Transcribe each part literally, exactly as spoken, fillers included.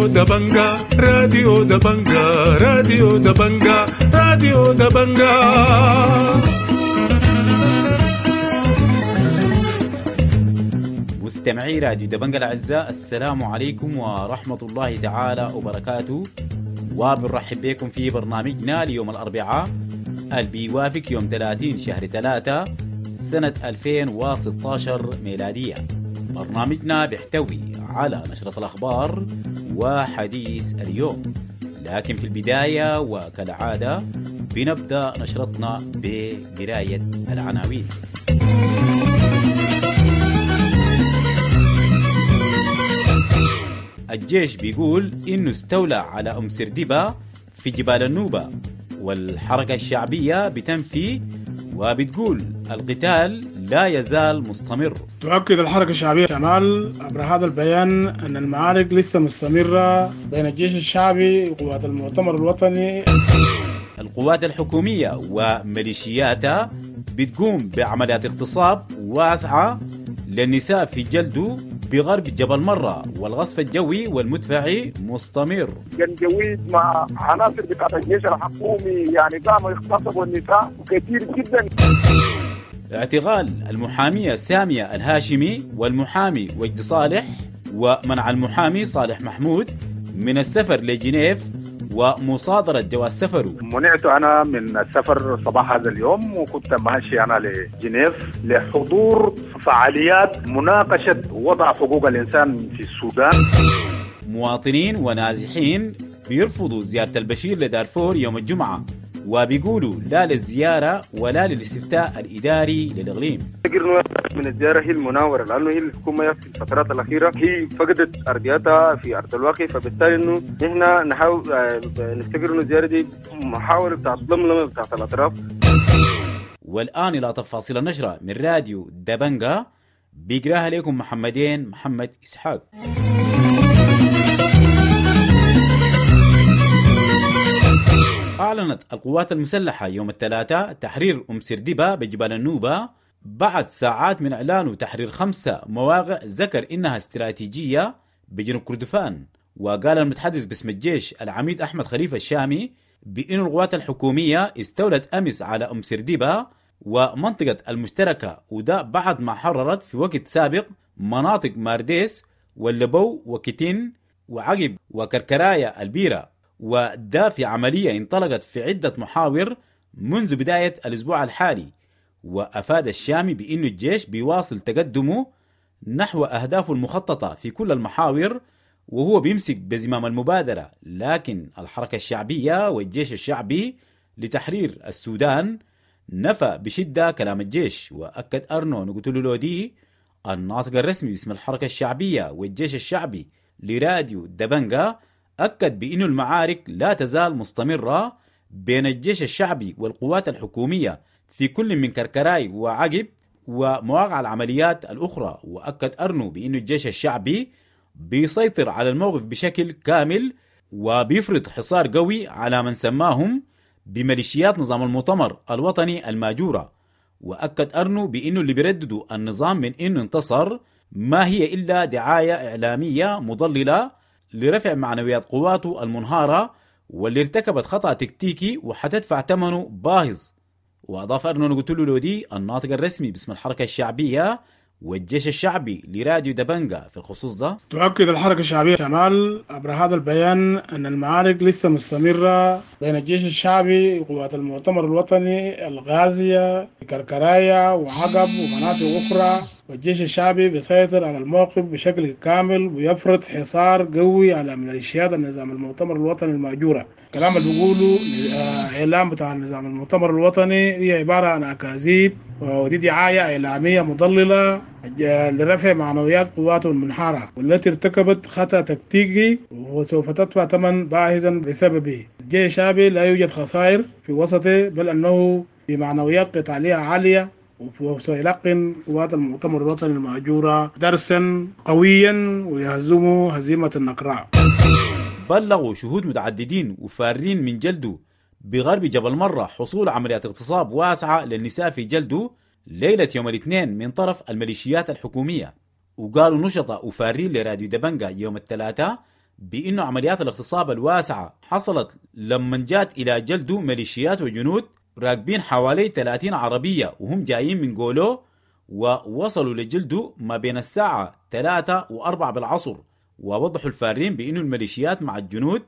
راديو دبنجا راديو دبنجا راديو دبنجا راديو دبنجا. مستمعي راديو دبنجا الأعزاء، السلام عليكم ورحمة الله تعالى وبركاته، وبنرحب بكم في برنامجنا ليوم الأربعاء اللي بيوافق يوم ثلاثين شهر ثلاثة سنة ألفين وستة عشر ميلادية. برنامجنا بيحتوي على نشرة الأخبار وحديث اليوم، لكن في البداية وكالعادة بنبدأ نشرتنا بقراية العناوين. الجيش بيقول إنه استولى على أم سردبة في جبال النوبة، والحركة الشعبية بتنفي وبتقول القتال لا يزال مستمر. تؤكد الحركة الشعبية شمال عبر هذا البيان أن المعارك لسه مستمرة بين الجيش الشعبي وقوات المؤتمر الوطني. القوات الحكومية وميليشياتها بتقوم بعمليات اغتصاب واسعة للنساء في جلده بغرب جبل مرة، والغصف الجوي والمدفعي مستمر. جنجويد مع عناصر بتاعت الجيش الحكومي يعني قاموا يغتصبوا النساء كثير جدا. اعتقال المحامية سامية الهاشمي والمحامي وجد صالح، ومنع المحامي صالح محمود من السفر لجنيف ومصادرة جواز سفره. منعت أنا من السفر صباح هذا اليوم، وكنت ماشي أنا لجنيف لحضور فعاليات مناقشة وضع حقوق الإنسان في السودان. مواطنين ونازحين بيرفضوا زيارة البشير لدارفور يوم الجمعة، وبيقولوا لا للزيارة ولا للاستفتاء الإداري للإقليم. من الزيارة هي المناورة، لأنه هي الحكومة في الفترات الأخيرة هي فقدت أرضياتها في أرض الواقع، فبالتالي إنه نحن نحاول نفتكر إنه الزيارة دي محاولة بتاعت لملمة بتاعت الأطراف. والآن إلى تفاصيل النشرة من راديو دبنجا، بيقراها لكم محمدين محمد إسحاق. أعلنت القوات المسلحة يوم الثلاثاء تحرير أم سردبة بجبال النوبة بعد ساعات من إعلانه تحرير خمسة مواقع ذكر إنها استراتيجية بجنوب كردفان. وقال المتحدث باسم الجيش العميد أحمد خليفة الشامي بأن القوات الحكومية استولت أمس على أم سردبة ومنطقة المشتركة، وده بعد ما حررت في وقت سابق مناطق مارديس واللبو وكتين وعقب وكركرايا البيرة، وده في عملية انطلقت في عدة محاور منذ بداية الأسبوع الحالي. وأفاد الشامي بأن الجيش بيواصل تقدمه نحو أهدافه المخططة في كل المحاور، وهو بيمسك بزمام المبادرة، لكن الحركة الشعبية والجيش الشعبي لتحرير السودان نفى بشدة كلام الجيش. وأكد أرنو نقتلو دي الناطق الرسمي باسم الحركة الشعبية والجيش الشعبي لراديو دبنجا، أكد بأن المعارك لا تزال مستمرة بين الجيش الشعبي والقوات الحكومية في كل من كركراي وعقب ومواقع العمليات الأخرى. وأكد أرنو بأن الجيش الشعبي بيسيطر على الموقف بشكل كامل وبيفرض حصار قوي على من سماهم بميليشيات نظام المؤتمر الوطني الماجورة. وأكد أرنو بأنه اللي بيرددوا النظام من أنه انتصر ما هي إلا دعاية إعلامية مضللة لرفع معنويات قواته المنهارة واللي ارتكبت خطأ تكتيكي وحتدفع ثمنه باهظ. وأضاف أرنو نقتلو لودي الناطق الرسمي باسم الحركة الشعبية والجيش الشعبي لراديو دبنجا في الخصوص ده: تؤكد الحركة الشعبية شمال عبر هذا البيان أن المعارك لسه مستمرة بين الجيش الشعبي وقوات المؤتمر الوطني الغازية كركرايا وعقب ومناطق أخرى، والجيش الشعبي بيسيطر على الموقف بشكل كامل ويفرض حصار قوي على ميليشيات النظام المؤتمر الوطني المأجورة. الكلام اللي بيقوله إعلام بتاع النظام المؤتمر الوطني هي عبارة عن أكاذيب، ودي دعاية إعلامية مضللة لرفع معنويات قواته المنحارة والتي ارتكبت خطأ تكتيكي وسوف تدفع ثمن باهظا بسببه. الجيش الشعبي لا يوجد خسائر في وسطه، بل أنه بمعنويات قتالية عالية، وسيلقن قوات المؤتمر الوطني المأجورة درسا قويا ويهزم هزيمة النقراء. بلغوا شهود متعددين وفارين من جلده بغرب جبل مرة حصول عمليات اغتصاب واسعة للنساء في جلده ليلة يوم الاثنين من طرف الميليشيات الحكومية. وقالوا نشطاء وفارين لراديو دبنجا يوم الثلاثاء بأنه عمليات الاغتصاب الواسعة حصلت لما جات إلى جلدو ميليشيات وجنود راكبين حوالي ثلاثين عربية وهم جايين من قولو، ووصلوا لجلدو ما بين الساعة ثلاثة وأربعة بالعصر. ووضحوا الفارين بأنه الميليشيات مع الجنود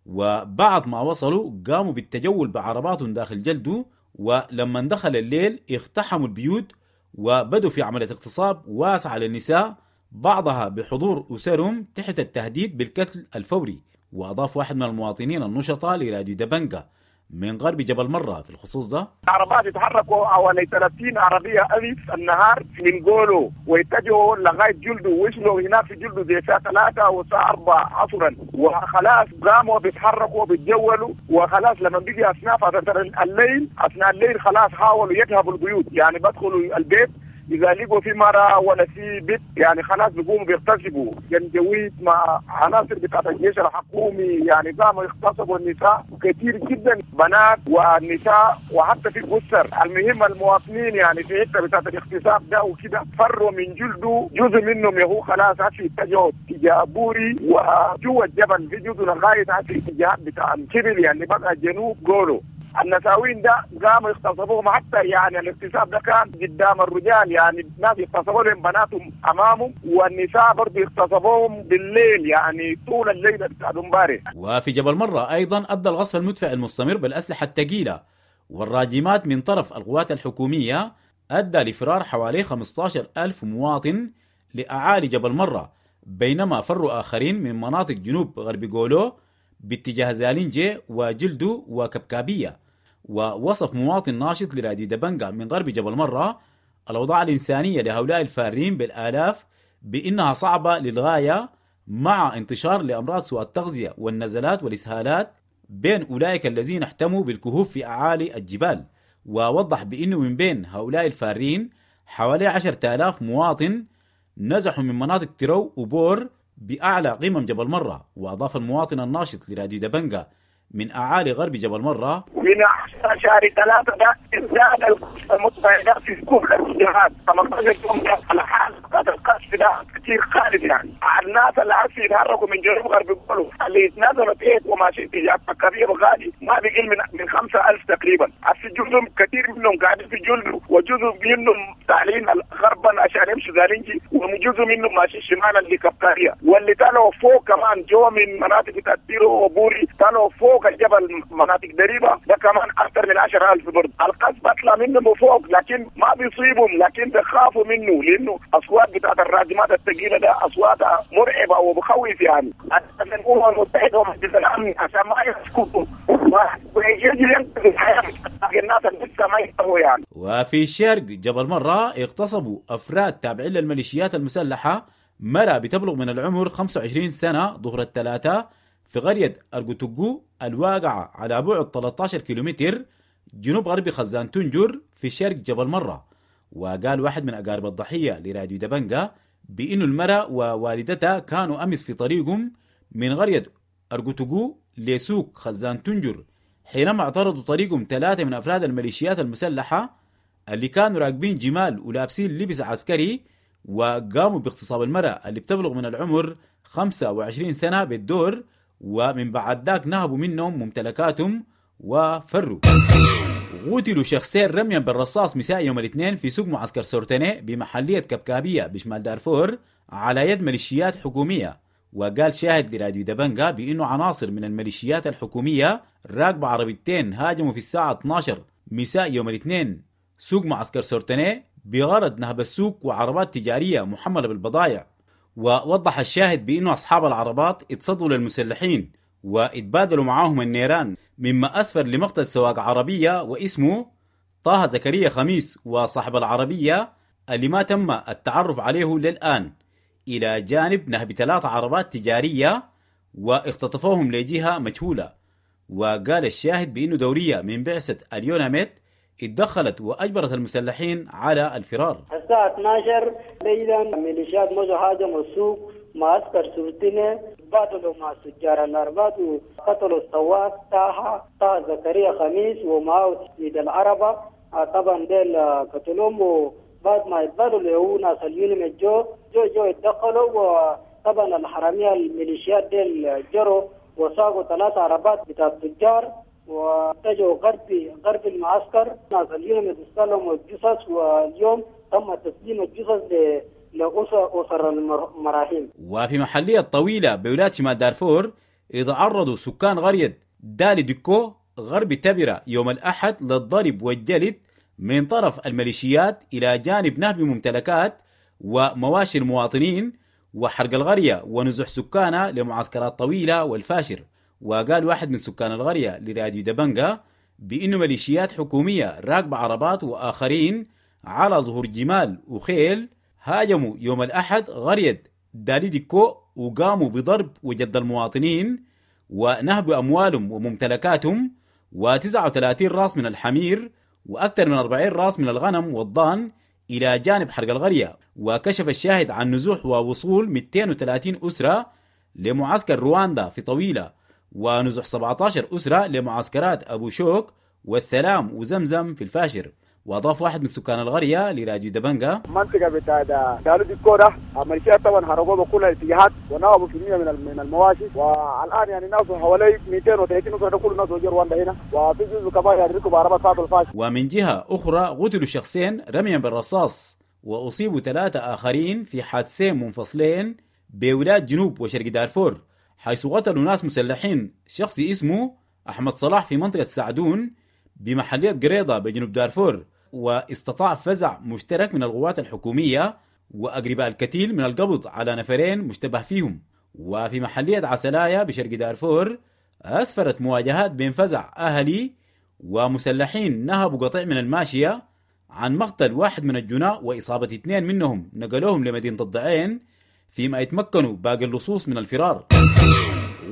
وبعد ما وصلوا قاموا بالتجول بعرباتهم داخل جلدو، ولما دخل الليل اقتحموا البيوت وبدوا في عملية اغتصاب واسعة للنساء، بعضها بحضور أسرهم تحت التهديد بالقتل الفوري. وأضاف واحد من المواطنين النشطاء لراديو دبنجا من غرب جبل مرة في الخصوص ده: عربات يتحركوا حوالي ثلاثين عربية ألف النهار من قولوا ويتجهوا لغاية جلده، وصلوا هناك في جلده زي الساعة ثلاثة والساعة أربعة عصرا، وخلاص قاموا بيتحركوا بيتجولوا، وخلاص لما بيجي أثناء فترة الليل أثناء الليل خلاص حاولوا يذهبوا البيوت، يعني بدخلوا البيت إذا لقوا في مرة ولا في بيت يعني خلاص بيقوموا بيغتصبوا. جنجويد مع عناصر بتاعت الجيش الحكومي يعني قاموا يغتصبوا النساء كثير جدا، بنات والنساء وحتى في أسر. المهم المواطنين يعني في حتة بتاعت الاغتصاب ده وكده فروا من جلده، جزء منهم يهو خلاص عشان اتجهوا اتجاه بوري وجوا الجبل، في جزء لغاية عشان اتجاه بتاع الكبل يعني بقى جنوب قولوا. النساوين ده قاموا يغتصبوهم، حتى يعني الاغتصاب ده كان قدام الرجال، يعني الناس يغتصبوا لهم بناتهم امامهم، والنساء برضه يغتصبوهم بالليل يعني طول الليل بتاع امبارح. وفي جبل مرة ايضا ادى الغصف المدفع المستمر بالاسلحه الثقيله والراجمات من طرف القوات الحكوميه ادى لفرار حوالي خمسة عشر ألف مواطن لاعالي جبل مرة، بينما فروا اخرين من مناطق جنوب غرب قولو باتجاه زالينجي وجلدو وكبكابيه. ووصف مواطن ناشط لراديو دبنجا من غرب جبل مرة الأوضاع الإنسانية لهؤلاء الفارين بالآلاف بأنها صعبة للغاية، مع انتشار لأمراض سوء التغذية والنزلات والإسهالات بين أولئك الذين احتموا بالكهوف في أعالي الجبال. ووضح بأنه من بين هؤلاء الفارين حوالي عشرة آلاف مواطن نزحوا من مناطق ترو وبور بأعلى قمم جبل مرة. وأضاف المواطن الناشط لراديو دبنجا من أعالي غرب جبل مرة: من عشرة شهر ثلاثة ده ازداد القصف المدفعي ده في كل الاتجاهات، ثمانية عشر يوم ده على حال القصف ده كثير خالد، يعني الناس اللي عارفين يتحركوا من جنوب غرب قولوا اللي يتنازلوا تحت وماشي اتجاه كبير وغالي ما بيقل من من خمسة ألف تقريبا. في جزء كثير منهم قاعدين في جلد، وجزء منهم طالعين غربا عشان يمشوا زالينجي، وجزء منهم ماشي شمالا لكبكاريا، واللي طلعوا فوق كمان جو من مناطق تيرو وبوري طلعوا فوق الجبل مناطق دريبه ده كمان اكثر من عشرة آلاف برضه. القصف بطلع منهم فوق لكن ما بيصيبهم، لكن بيخافوا منه لانه اصوات بتاعت الراجمات الثقيله ده اصواتها مرعبه وبخوف يعني. الامم المتحده ومجلس الامن عشان ما يسكتوا ويجي ينقذ الحياه الناس اللي لسه ما ينتهوا يعني. وفي شرق جبل مرة اغتصبوا افراد تابعين للميليشيات المسلحه مرأة بتبلغ من العمر خمسة وعشرين سنه ظهر الثلاثاء في قرية أرجوتوغو الواقعة على بعد ثلاثة عشر كيلومتر جنوب غرب خزان تنجر في شرق جبل مرة. وقال واحد من أقارب الضحية لراديو دبنجا بأنه المرأة ووالدتها كانوا أمس في طريقهم من قرية أرجوتوغو لسوق خزان تنجر حينما اعترضوا طريقهم ثلاثة من أفراد الميليشيات المسلحة اللي كانوا راكبين جمال ولابسين لبس عسكري، وقاموا باغتصاب المرأة اللي بتبلغ من العمر خمسة وعشرين سنة بالدور، ومن بعد ذاك نهبوا منهم ممتلكاتهم وفروا. قتلوا شخصين رميا بالرصاص مساء يوم الاثنين في سوق معسكر سورتيني بمحلية كبكابية بشمال دارفور على يد ميليشيات حكومية. وقال شاهد لراديو دبنجا بأنه عناصر من الميليشيات الحكومية راكبة عربيتين هاجموا في الساعة اثنا عشر مساء يوم الاثنين سوق معسكر سورتيني بغرض نهب السوق وعربات تجارية محملة بالبضائع. ووضح الشاهد بأنه أصحاب العربات اتصدوا للمسلحين واتبادلوا معاهم النيران، مما أسفر لمقتل سواق عربية واسمه طه زكريا خميس وصاحب العربية اللي ما تم التعرف عليه للآن، إلى جانب نهب ثلاث عربات تجارية واختطفوهم لجهة مجهولة. وقال الشاهد بأنه دورية من بعثة اليوناميت اتدخلت وأجبرت المسلحين على الفرار. الساعة اثنا عشر ليلا ميليشيات مشوا هاجموا السوق معسكر سورتيني، بادلوا مع تجار الأربات وقتلوا السواق طه طه زكريا خميس ومعه سيد العربة. طبعا ديل قتلوهم، وبعد ما يتبادلوا ناس اليوناميت جو جو جو اتدخلوا، وطبعا طبعا الحرامية الميليشيات ديل جروا وساقوا ثلاث عربات بتاع التجار واتجهوا غرب غرب المعسكر. ناس اليوم استلموا الجثث، واليوم تم تسليم الجثث لأسر أسر المراحيم. وفي محلية طويلة بولاية شمال دارفور يتعرضوا سكان قرية دالي ديكو غرب تبرة يوم الأحد للضرب والجلد من طرف الميليشيات إلى جانب نهب ممتلكات ومواشي المواطنين وحرق القرية ونزح سكانها لمعسكرات طويلة والفاشر. وقال واحد من سكان القرية لراديو دبنجا بأنه ميليشيات حكومية راكبة عربات وآخرين على ظهور جمال وخيل هاجموا يوم الأحد قرية دالي ديكو وقاموا بضرب وجد المواطنين ونهب أموالهم وممتلكاتهم وتسعة وثلاثين راس من الحمير وأكثر من أربعين راس من الغنم والضان إلى جانب حرق القرية. وكشف الشاهد عن نزوح ووصول مئتين وثلاثين أسرة لمعسكر رواندا في طويلة ونزوح سبعة عشر أسرة لمعسكرات أبو شوك والسلام وزمزم في الفاشر. وأضاف واحد من سكان القرية لراديو دبنجا: المنطقة بتاع دالو ديكو ده ميليشيات طبعا هربوا بكل الاتجاهات ونهبوا كمية من من المواشي، والآن يعني ناس حوالي مئتين وثلاثين أسرة كل الناس وجوا رواندا هنا، وفي جزء كمان يعني ركبوا عربات فاتوا الفاشر. ومن جهة أخرى قتلوا شخصين رميا بالرصاص وأصيبوا ثلاثة آخرين في حادثين منفصلين بولاية جنوب وشرق دارفور، حيث قتلوا ناس مسلحين شخص اسمه أحمد صلاح في منطقة سعدون بمحلية قريضة بجنوب دارفور، واستطاع فزع مشترك من القوات الحكومية وأقرباء الكتيل من القبض على نفرين مشتبه فيهم. وفي محلية عسلايا بشرق دارفور أسفرت مواجهات بين فزع أهلي ومسلحين نهبوا قطيع من الماشية عن مقتل واحد من الجناء وإصابة اثنين منهم نقلوهم لمدينة الضعين، فيما يتمكنوا باقي اللصوص من الفرار.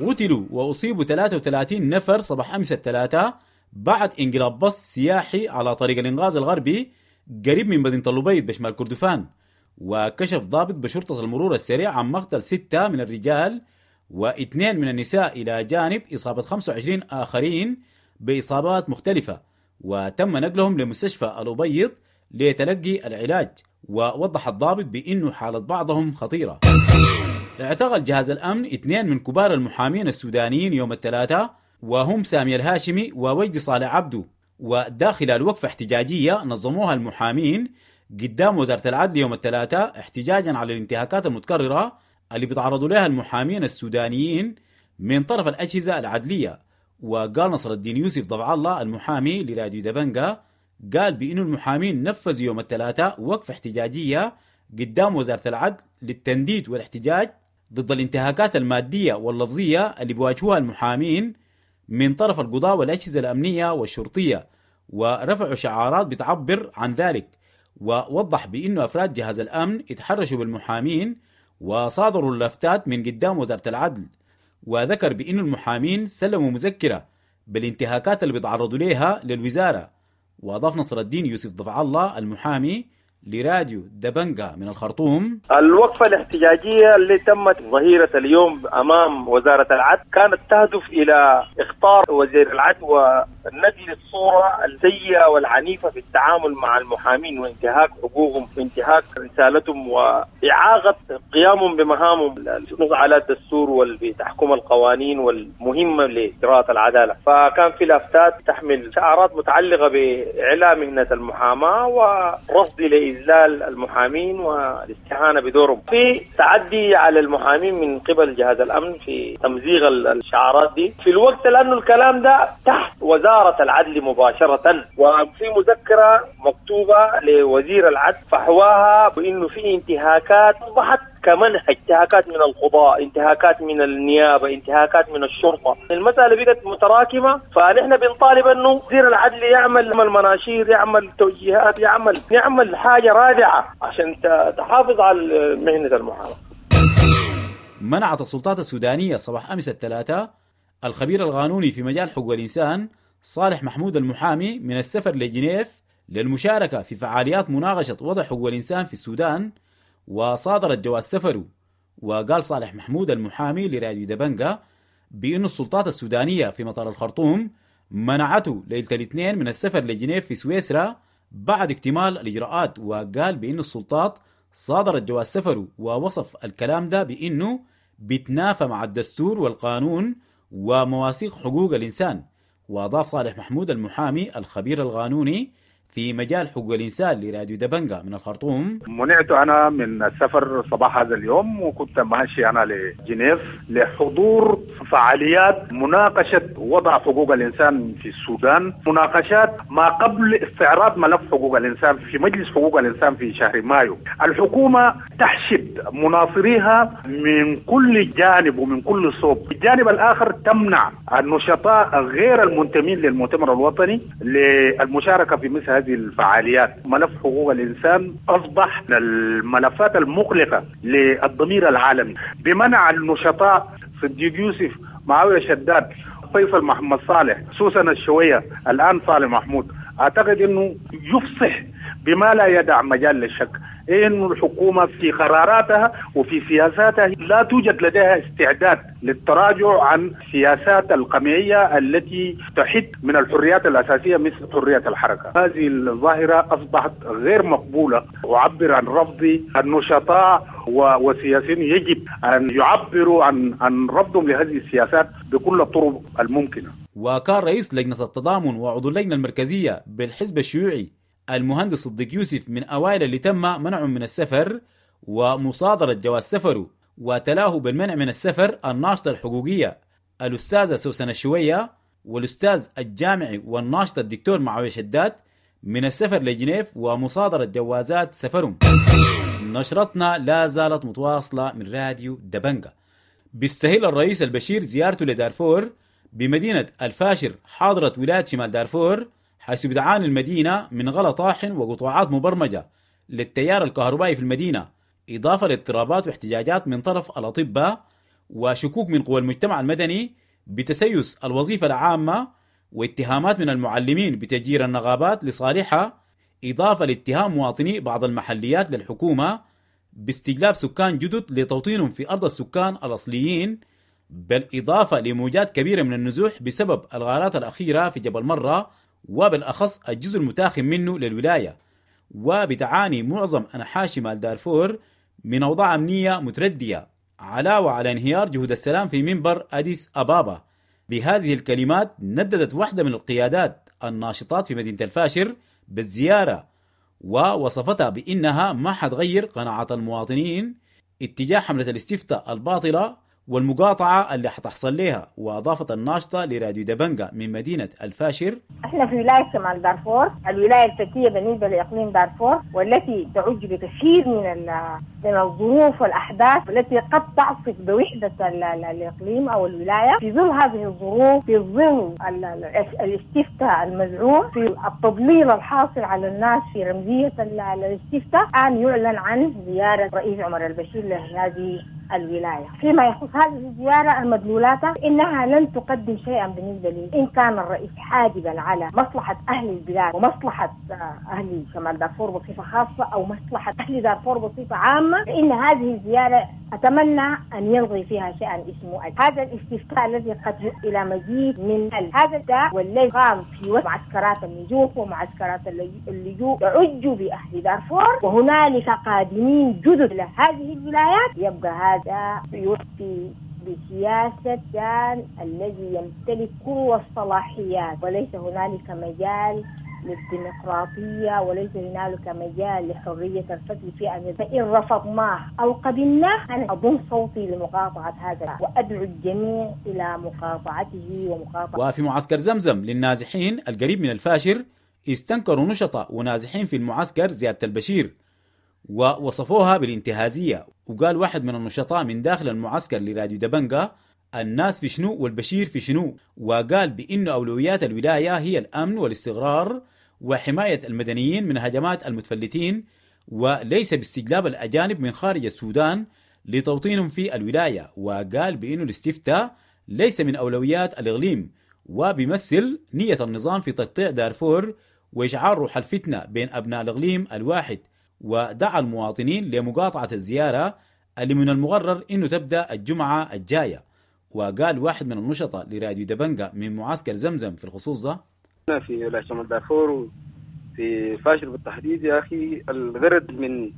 قتلوا وأصيبوا ثلاثة وثلاثين نفر صباح أمس الثلاثاء بعد انقلاب بص سياحي على طريق الإنغاز الغربي قريب من مدينة اللبيض بشمال كردفان. وكشف ضابط بشرطة المرور السريع عن مقتل ستة من الرجال واثنين من النساء إلى جانب إصابة خمسة وعشرين آخرين بإصابات مختلفة، وتم نقلهم لمستشفى الأبيض لتلقي العلاج. ووضح الضابط بأنه حالة بعضهم خطيرة. اعتقل جهاز الأمن اثنين من كبار المحامين السودانيين يوم الثلاثاء، وهم سامي الهاشمي ووجدي صالح عبده، وداخل الوقفة احتجاجية نظموها المحامين قدام وزارة العدل يوم الثلاثاء احتجاجا على الانتهاكات المتكررة اللي بيتعرضوا لها المحامين السودانيين من طرف الأجهزة العدلية. وقال نصر الدين يوسف ضبع الله المحامي لراديو دبنجا، قال بأنه المحامين نفذوا يوم الثلاثاء وقفة احتجاجية قدام وزارة العدل للتنديد والاحتجاج ضد الانتهاكات المادية واللفظية اللي بيواجهوها المحامين من طرف القضاء والأجهزة الأمنية والشرطية، ورفعوا شعارات بتعبر عن ذلك. ووضح بأنه أفراد جهاز الأمن اتحرشوا بالمحامين وصادروا اللافتات من قدام وزارة العدل. وذكر بأنه المحامين سلموا مذكرة بالانتهاكات اللي بيتعرضوا لها للوزارة. وأضاف نصر الدين يوسف ضفع الله المحامي لراديو دبنجا من الخرطوم: الوقفة الاحتجاجية اللي تمت ظهيرة اليوم أمام وزارة العدل كانت تهدف إلى إخطار وزير العدل ونقل الصورة السيئة والعنيفة في التعامل مع المحامين وانتهاك حقوقهم وانتهاك رسالتهم وإعاقة قيامهم بمهامهم على الدستور والتحكم القوانين والمهمة لإجراءات العدالة. فكان في لافتات تحمل شعارات متعلقة بإعلام مهنة المحاماة ورفض لإذلال المحامين والاستهانة بدورهم، في تعدي على المحامين من قبل جهاز الأمن في تمزيغ الشعارات دي في الوقت، لأنه الكلام ده تحت وزارة العدل مباشرة، وفي مذكرة مكتوبة لوزير العدل فحواها بأنه في انتهاكات أصبحت كمنهج، انتهاكات من القضاء، انتهاكات من النيابة، انتهاكات من الشرطة. المسألة بقت متراكمة، فنحن بنطالب أنه وزير العدل يعمل مناشير، يعمل توجيهات، يعمل يعمل حاجة رادعة عشان تحافظ على مهنة المحاماة. منعت السلطات السودانية صباح أمس الثلاثاء الخبير القانوني في مجال حقوق الإنسان صالح محمود المحامي من السفر لجنيف للمشاركة في فعاليات مناقشة وضع حقوق الإنسان في السودان، وصادرت جواز سفره. وقال صالح محمود المحامي لراديو دبنجا بأن السلطات السودانية في مطار الخرطوم منعته ليلة الاثنين من السفر لجنيف في سويسرا بعد اكتمال الإجراءات. وقال بأن السلطات صادرت جواز سفره، ووصف الكلام ده بأنه بيتنافى مع الدستور والقانون ومواثيق حقوق الإنسان. وأضاف صالح محمود المحامي الخبير القانوني في مجال حقوق الإنسان لراديو دبنجا من الخرطوم: منعت أنا من السفر صباح هذا اليوم، وكنت ماشي أنا لجنيف لحضور فعاليات مناقشة وضع حقوق الإنسان في السودان، مناقشات ما قبل استعراض ملف حقوق الإنسان في مجلس حقوق الإنسان في شهر مايو. الحكومة تحشد مناصريها من كل جانب ومن كل صوب، الجانب الآخر تمنع النشطاء غير المنتمين للمؤتمر الوطني للمشاركة في مثل هذه الفعاليات. ملف حقوق الإنسان أصبح من الملفات المقلقة للضمير العالمي بمنع النشطاء صديق يوسف، معاوية شداد، فيصل محمد صالح، سوسن الشوية، الآن صالح محمود. أعتقد أنه يفصح بما لا يدع مجال للشك إن الحكومة في قراراتها وفي سياساتها لا توجد لديها استعداد للتراجع عن سياسات القمعية التي تحد من الحريات الأساسية مثل حرية الحركة. هذه الظاهرة أصبحت غير مقبولة. أعبر عن رفض النشطاء والسياسيين، يجب أن يعبروا عن عن رفضهم لهذه السياسات بكل الطرق الممكنة. وكان رئيس لجنة التضامن وعضو اللجنة المركزية بالحزب الشيوعي المهندس صديق يوسف من أوائل اللي تم منعهم من السفر ومصادرة جواز سفره، وتلاه بالمنع من السفر الناشطة الحقوقية الأستاذة سوسن الشوية والأستاذ الجامعي والناشطة الدكتور معاوية شداد من السفر لجنيف ومصادرة جوازات سفرهم. نشرتنا لا زالت متواصلة من راديو دبنجا. بيستهل الرئيس البشير زيارته لدارفور بمدينة الفاشر حاضرة ولاية شمال دارفور، حيث بتعاني المدينة من غلا طاحن وقطاعات مبرمجة للتيار الكهربائي في المدينة، إضافة لاضطرابات واحتجاجات من طرف الأطباء وشكوك من قوى المجتمع المدني بتسيس الوظيفة العامة واتهامات من المعلمين بتجير النغابات لصالحها، إضافة لاتهام مواطني بعض المحليات للحكومة باستجلاب سكان جدد لتوطينهم في أرض السكان الأصليين، بالإضافة لموجات كبيرة من النزوح بسبب الغارات الأخيرة في جبل مرة وبالأخص الجزء المتاخم منه للولاية. وبتعاني معظم أنحاء شمال دارفور من أوضاع أمنية متردية، علاوة على انهيار جهود السلام في منبر أديس أبابا. بهذه الكلمات نددت واحدة من القيادات الناشطات في مدينة الفاشر بالزيارة، ووصفتها بأنها ما حتغير قناعات المواطنين اتجاه حملة الاستفتاء الباطلة والمقاطعة اللي حتحصل لها. وأضافت الناشطة لراديو دبنجا من مدينة الفاشر: احنا في ولاية شمال دارفور، الولاية الفتية بالنسبة لإقليم دارفور، والتي تعج بكثير من من الظروف والأحداث التي قد تعصف بوحدة الإقليم أو الولاية. في ظل هذه الظروف، في ظل الاستفتاء المزعوم، في التضليل الحاصل على الناس في رمزية الاستفتاء، أن يعلن عن زيارة رئيس عمر البشير لهذه الولاية. فيما يخص هذه الزيارة المدلولات إنها لن تقدم شيئا بالنسبة لي، إن كان الرئيس حاجبا على مصلحة أهل البلاد ومصلحة أهل شمال دارفور بصفة خاصة أو مصلحة أهل دارفور بصفة عامة، فإن هذه الزيارة أتمنى أن يلغي فيها شيئا اسمه هذا الاستفتاء الذي قد إلى مزيد من هذا الداء والذي قام في معسكرات النزوح ومعسكرات اللجوء يعج بأهل دارفور، وهنالك قادمين جدد لهذه الولايات. يبقى هذا يوفي بسياسة كان الذي يمتلك كل الصلاحيات، وليس هنالك مجال للديمقراطية وليس هنالك مجال لحرية الفتي في أن فإن رفضناه أو قبلناه أنا أضم صوتي لمقاطعة هذا وأدعو الجميع إلى مقاطعته ومقاطعة. وفي معسكر زمزم للنازحين القريب من الفاشر استنكروا نشطاء ونازحين في المعسكر زيارة البشير ووصفوها بالانتهازية. وقال واحد من النشطاء من داخل المعسكر لراديو دبنجا: الناس في شنو والبشير في شنو. وقال بأن أولويات الولاية هي الأمن والاستقرار وحماية المدنيين من هجمات المتفلتين، وليس باستجلاب الأجانب من خارج السودان لتوطينهم في الولاية. وقال بأن الاستفتاء ليس من أولويات الإقليم وبيمثل نية النظام في تقطيع دارفور وإشعار روح الفتنة بين أبناء الإقليم الواحد. ودعا المواطنين لمقاطعة الزيارة اللي من المقرر إنه تبدأ الجمعة الجاية. وقال واحد من النشطاء لراديو دبنجا من معسكر زمزم في الخصوص ده: في ولاية شمال دارفور وفي فاشر بالتحديد يا أخي، الغرض من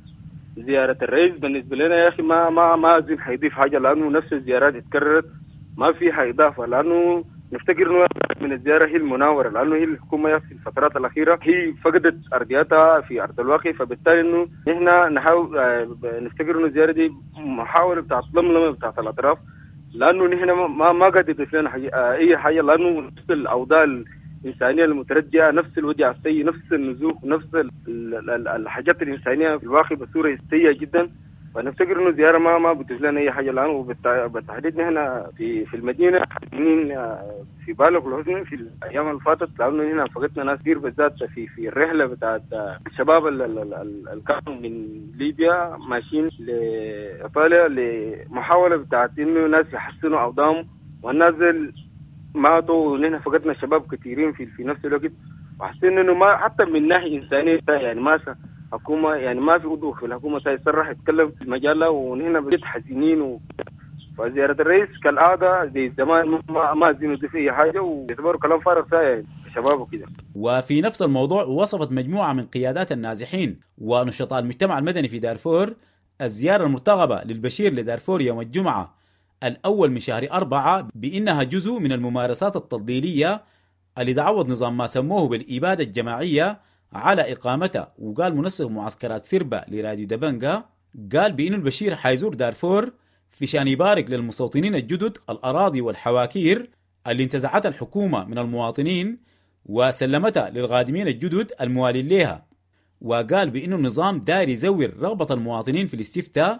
زيارة الرئيس بالنسبة لنا يا أخي ما ما ما أظن حيضيف حاجة، لأنه نفس الزيارات اتكررت ما فيها إضافة، لأنه نفتكر إنه من الزيارة هي المناورة، لأنه هي الحكومة في الفترات الأخيرة هي فقدت أرضياتها في أرض الواقع، فبالتالي إنه نحن نحاول نفتكر إنه الزيارة دي محاولة بتاعت لملمة بتاعت الأطراف، لأنه نحن ما ما قد يضيف لنا أي حاجة، لأنه نفس الأوضاع الإنسانية المتردية، نفس الوجع السيء، نفس النزوح، نفس الحاجات الإنسانية في الواقع بصورة سيئة جدا. فنفتكر إنه زيارة ما ما بتضيف لنا أي حاجة الآن، وبالتحديد نحن في في المدينة حزينين في بالغ الحزن في الأيام اللي فاتت، لأنه هنا فقدنا ناس كثير بالذات في في الرحلة بتاعت الشباب اللي كانوا من ليبيا ماشيين لإيطاليا لمحاولة بتاعت إنه ناس يحسنوا أوضاعهم، والناس ماتوا، ونحن فقدنا شباب كثيرين في في نفس الوقت، وحسينا إنه ما حتى من ناحية إنسانية يعني ما حكومة يعني ما في عضو في الحكومة سيصرح يتكلم في المجلة، ونحن بجد حزينين و... فزيارة الرئيس كالعادة زي زمان ما ما زينوا في أي حاجة، ويعتبروا كلام فارغ ساي شباب وكده. وفي نفس الموضوع وصفت مجموعة من قيادات النازحين ونشطاء المجتمع المدني في دارفور الزيارة المرتقبة للبشير لدارفور يوم الجمعة الأول من شهر أربعة بأنها جزء من الممارسات التضليلية اللي تعوض نظام ما سموه بالإبادة الجماعية على إقامتها. وقال منسق معسكرات سربة لراديو دبنجا، قال بأن البشير حيزور دارفور في شان يبارك للمستوطنين الجدد الأراضي والحواكير اللي انتزعتها الحكومة من المواطنين وسلمتها للغادمين الجدد الموالين لها. وقال بأن النظام داير يزور رغبة المواطنين في الاستفتاء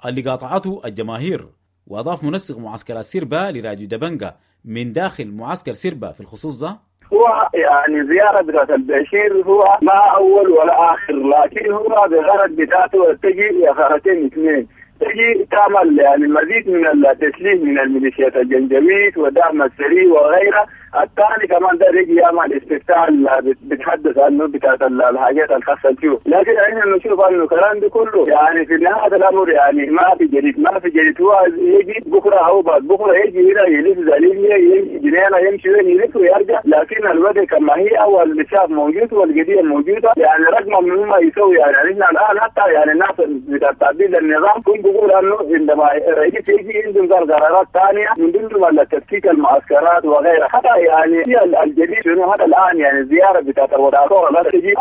اللي قاطعته الجماهير. وأضاف منسق معسكرات سربة لراديو دبنجا من داخل معسكر سربة في الخصوص ده، هو يعني زيارة بتاعت البشير هو ما أول ولا آخر، لكن هو بغرض بتاعته تجي غرضين اثنين، تجي تعمل يعني مزيد من التسليم من الميليشيات الجنجويد ودعم السري وغيرها. الثاني كمان ده يجي يعمل استفتاء بتحدث عنه بتاعت الحاجات الخاصة فيه، لكن احنا نشوف انه الكلام ده كله يعني في نهاية الامر يعني ما في جديد، ما في جديد. هو يجي بكره او بعد بكره يجي هنا يلف زليليا يجي جنينة يمشي وين يلف ويرجع، لكن الوضع كما هي اول الشعب موجود والقضية موجودة، يعني رغم من ما يسوي يعني احنا الان حتى يعني الناس بتاع تعديل النظام كنت بقول انه عندما الرئيس يجي عندهم قرارات ثانية من ضمن تفكيك المعسكرات وغيرها. حتى يعني الجديد شنو هذا الان يعني الزيارة بتاعت دارفور لا تجي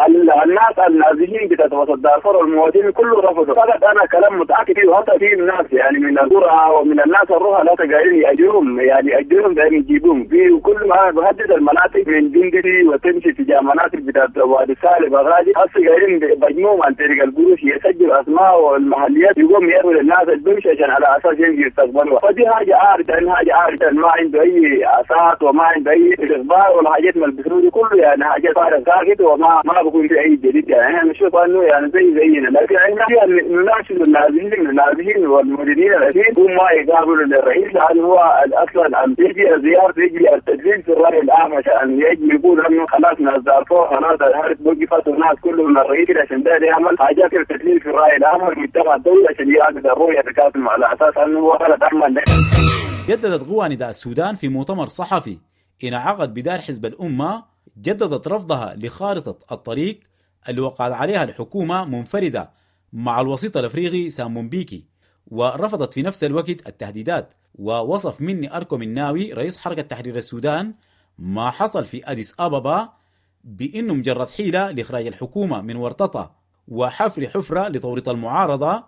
الناس النازحين بتاعت وسط دارفور والمواطنين كله رفضوا. فقط انا كلام متاكد فيه، وحتى في ناس يعني من القرى ومن الناس الروح لا قاعدين ياجرهم يعني ياجرهم دايرين يجيبوهم في كل ما بهدد المناطق من جندي وتمشي تجاه مناطق بتاعت وادي سالب غادي هسه قاعدين بجموهم عن طريق القروش يسجلوا اسماء والمحليات يقوم يروا للناس البمشي عشان على اساس يجي يستقبلوها. فدي حاجة عارضه، حاجة عارضه ما عنده اي اساس وما عنده اي اخبار ولا حاجات من البترول كله يعني حاجات فارغ ساكت وما ما بكون في اي جديد. يعني احنا نشوف انه يعني زي زينا، لكن احنا نناشد النازحين النازحين والمديرين الذين هم ما يقابلوا للرئيس، لانه هو اصلا يجي زيارة يجي التدليل في الراي العام عشان يجي يقول انه خلاص ناس دارفور خلاص الحرب وقفت والناس كلهم من الرئيس عشان ده يعمل حاجات التدليل في الراي العام والمجتمع الدولي عشان يعكس الرؤية بتاعتهم على اساس انه هو غلط عمل. جددت قوى نداء السودان في مؤتمر صحفي انعقد بدار حزب الأمة، جددت رفضها لخارطة الطريق اللي وقعت عليها الحكومة منفردة مع الوسيط الأفريقي سامون بيكي، ورفضت في نفس الوقت التهديدات. ووصف مني أركو مناوي رئيس حركة تحرير السودان ما حصل في أديس أبابا بأنه مجرد حيلة لإخراج الحكومة من ورطتها وحفر حفرة لتوريط المعارضة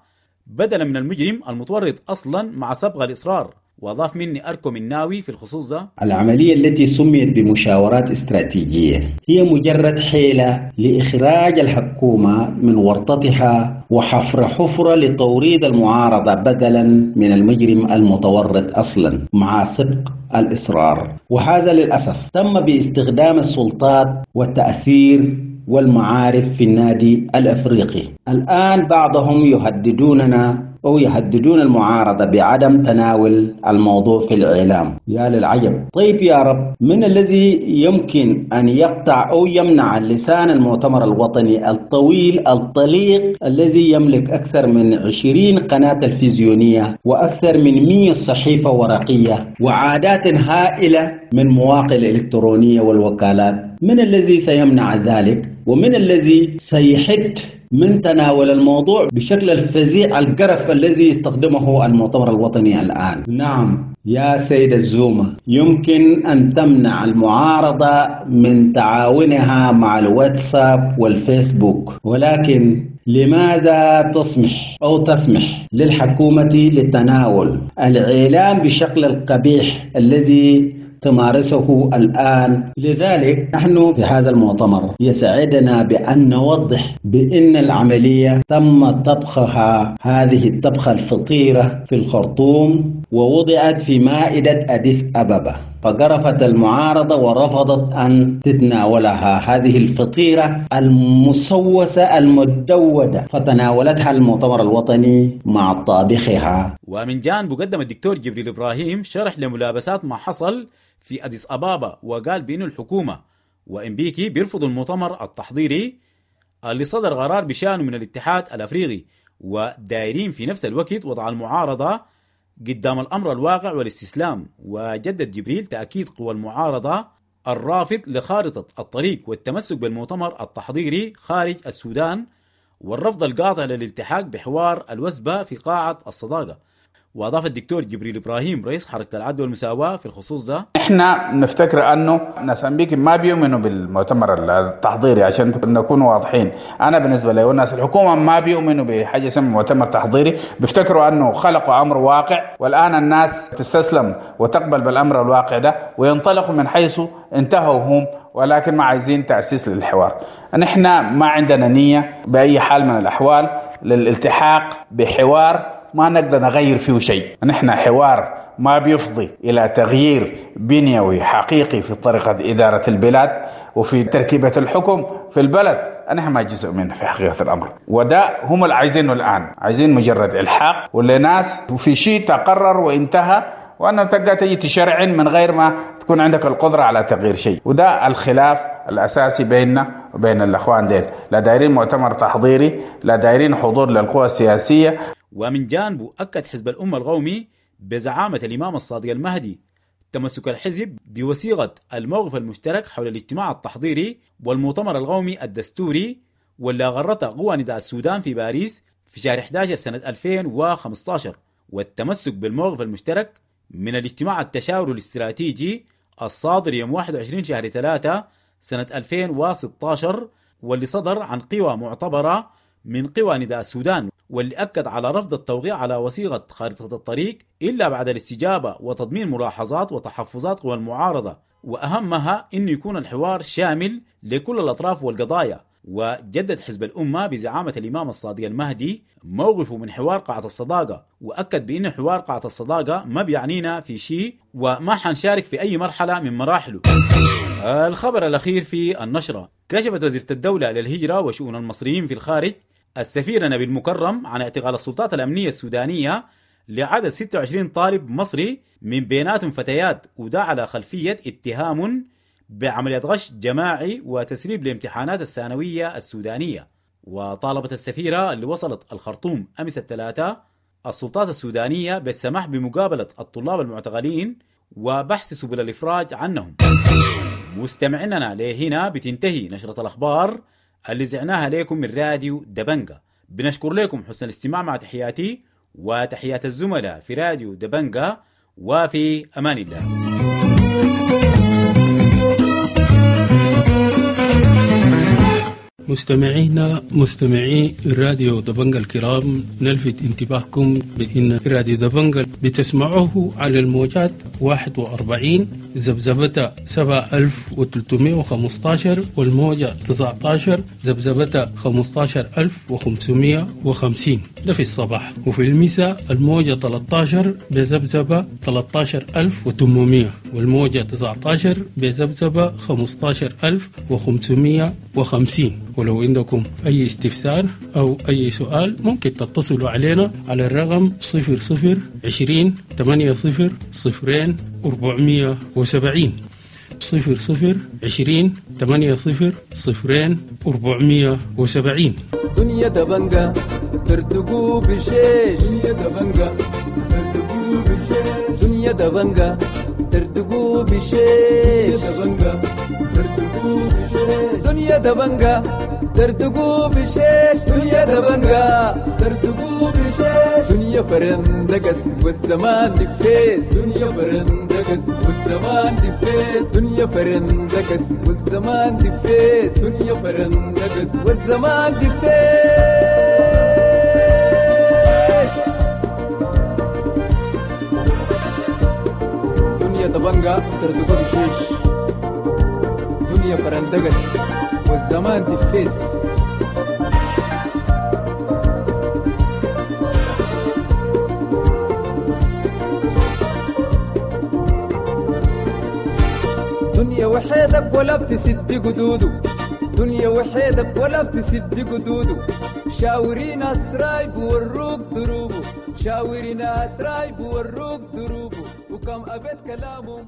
بدلا من المجرم المتورط أصلا مع سبق الإصرار. وأضاف مني أركو مناوي في الخصوص ده: العملية التي سميت بمشاورات استراتيجية هي مجرد حيلة لإخراج الحكومة من ورطتها وحفر حفرة لتوريد المعارضة بدلا من المجرم المتورط أصلا مع سبق الإصرار. وهذا للأسف تم باستخدام السلطات والتأثير والمعارف في النادي الأفريقي. الآن بعضهم يهددوننا أو يهددون المعارضة بعدم تناول الموضوع في الإعلام. يا للعجب. طيب يا رب، من الذي يمكن أن يقطع أو يمنع لسان المؤتمر الوطني الطويل الطليق الذي يملك أكثر من عشرين قناة تلفزيونية وأكثر من مئة صحيفة ورقية وعادات هائلة من مواقع الإلكترونية والوكالات؟ من الذي سيمنع ذلك؟ ومن الذي سيحد من تناول الموضوع بشكل الفزيع القرف الذي يستخدمه المؤتمر الوطني الآن؟ نعم يا سيد الزومة، يمكن أن تمنع المعارضة من تعاونها مع الواتساب والفيسبوك، ولكن لماذا تسمح أو تسمح للحكومة لتناول الإعلام بشكل القبيح الذي تمارسه الآن؟ لذلك نحن في هذا المؤتمر يسعدنا بأن نوضح بأن العملية تم طبخها، هذه الطبخة الفطيرة في الخرطوم، ووضعت في مائدة أديس أبابا، فقرفت المعارضة ورفضت أن تتناولها هذه الفطيرة المسوسة المدودة، فتناولتها المؤتمر الوطني مع طابخها. ومن جانبه قدم الدكتور جبريل إبراهيم شرح لملابسات ما حصل في أديس أبابا، وقال بأن الحكومة وإمبيكي بيرفضوا المؤتمر التحضيري اللي صدر قرار بشأنه من الاتحاد الأفريقي، ودايرين في نفس الوقت وضع المعارضة قدام الأمر الواقع والاستسلام. وجدد جبريل تأكيد قوى المعارضة الرافض لخارطة الطريق والتمسك بالمؤتمر التحضيري خارج السودان، والرفض القاطع للالتحاق بحوار الوثبة في قاعة الصداقة. وأضاف الدكتور جبريل إبراهيم رئيس حركة العدل والمساواة في الخصوص ده: إحنا نفتكر أنه ناس أمبيكي ما بيؤمنوا بالمؤتمر التحضيري، عشان نكون واضحين. أنا بالنسبة لي والناس الحكومة ما بيؤمنوا بحاجة اسمها مؤتمر تحضيري، بيفتكروا أنه خلقوا أمر واقع، والآن الناس تستسلم وتقبل بالأمر الواقع ده وينطلقوا من حيث انتهوا هم، ولكن ما عايزين تأسيس للحوار. نحن ما عندنا نية بأي حال من الأحوال للالتحاق بحوار ما نقدر نغير فيه شيء. نحن حوار ما بيفضي إلى تغيير بنيوي حقيقي في طريقة إدارة البلاد وفي تركيبة الحكم في البلد، نحن ما جزء منه في حقيقة الأمر، وده هم اللي عايزينه الآن، عايزين مجرد إلحاق ولا ناس وفي شيء تقرر وانتهى، وأنه تبقى تجي تشرعن من غير ما تكون عندك القدرة على تغيير شيء. وده الخلاف الأساسي بيننا وبين الأخوان ديل، لا دايرين مؤتمر تحضيري، لا دايرين حضور للقوى السياسية. ومن جانبه أكد حزب الأمة القومي بزعامة الإمام الصادق المهدي تمسك الحزب بوثيقة الموقف المشترك حول الاجتماع التحضيري والمؤتمر القومي الدستوري، واللي غرته قوى نداء السودان في باريس في شهر أحد عشر سنة ألفين وخمسة عشر، والتمسك بالموقف المشترك من الاجتماع التشاوري الاستراتيجي الصادر يوم واحد وعشرين شهر ثلاثة سنة ألفين وستة عشر، واللي صدر عن قوى معتبرة من قوى نداء السودان، واللي أكد على رفض التوقيع على وثيقة خارطة الطريق إلا بعد الاستجابة وتضمين ملاحظات وتحفظات قوى المعارضة، وأهمها إنه يكون الحوار شامل لكل الأطراف والقضايا. وجدد حزب الأمة بزعامة الإمام الصادق المهدي موقفه من حوار قاعة الصداقة، وأكد بأن حوار قاعة الصداقة ما بيعنينا في شيء وما حنشارك في أي مرحلة من مراحله. الخبر الأخير في النشرة: كشفت وزيرة الدولة للهجرة وشؤون المصريين في الخارج السفير نبيل مكرم عن اعتقال السلطات الأمنية السودانية لعدد ستة وعشرين طالب مصري من بيناتهم فتيات، وده على خلفية اتهام بعملية غش جماعي وتسريب لامتحانات الثانوية السودانية. وطالبت السفيرة اللي وصلت الخرطوم أمس الثلاثاء السلطات السودانية بالسماح بمقابلة الطلاب المعتقلين وبحث سبل الإفراج عنهم. مستمعيننا لهنا بتنتهي نشرة الأخبار اللي زعناها لكم من راديو دبنجا. بنشكر لكم حسن الاستماع، مع تحياتي وتحيات الزملاء في راديو دبنجا، وفي أمان الله. مستمعينا مستمعي راديو دبنجا الكرام، نلفت انتباهكم بأن راديو دبنجا بتسمعوه على الموجات واحد وأربعين ذبذبة سبعة ألف وثلاثمائة وخمسة عشر والموجة تسعة عشر ذبذبة خمسة عشر ألف وخمسمائة وخمسين، ده في الصباح، وفي المساء الموجة ثلاثة عشر بذبذبة ثلاثة عشر ألف وثمانمائة والموجة تسعة عشر بذبذبة خمسة عشر ألف وخمسمائة وخمسين. ولو عندكم أي استفسار أو أي سؤال ممكن تتصلوا علينا على الرقم صفر صفر عشرين ثمانية صفر صفرين أربعمية وسبعين، صفر صفر عشرين ثمانية صفر صفرين أربعمية وسبعين. دنيا دبنجا ترتقو بشيش، دنيا دبنجا ترتقو بشيش، دنيا دبنجا ترتقو بشيش، دنيا دبنجا دردقوا بشيش دنيا دبنجا دردقوا بشيش دنيا دبنجا دردقوا بشيش دنيا فرندقس والزمان دفيس دنيا فرندقس والزمان دفيس دنيا فرندقس والزمان دفيس دنيا فرندقس والزمان دفيس. دنيا دبنجا دردقوا بشيش دنيا فرندقس والزمان دفيس. دنيا وحيدك ولا بتسد قدوده دنيا وحيدك ولا بتسد قدوده شاوري ناس رايب وروك دروبه شاوري ناس رايب وروك دروبه وكم أبد كلامهم.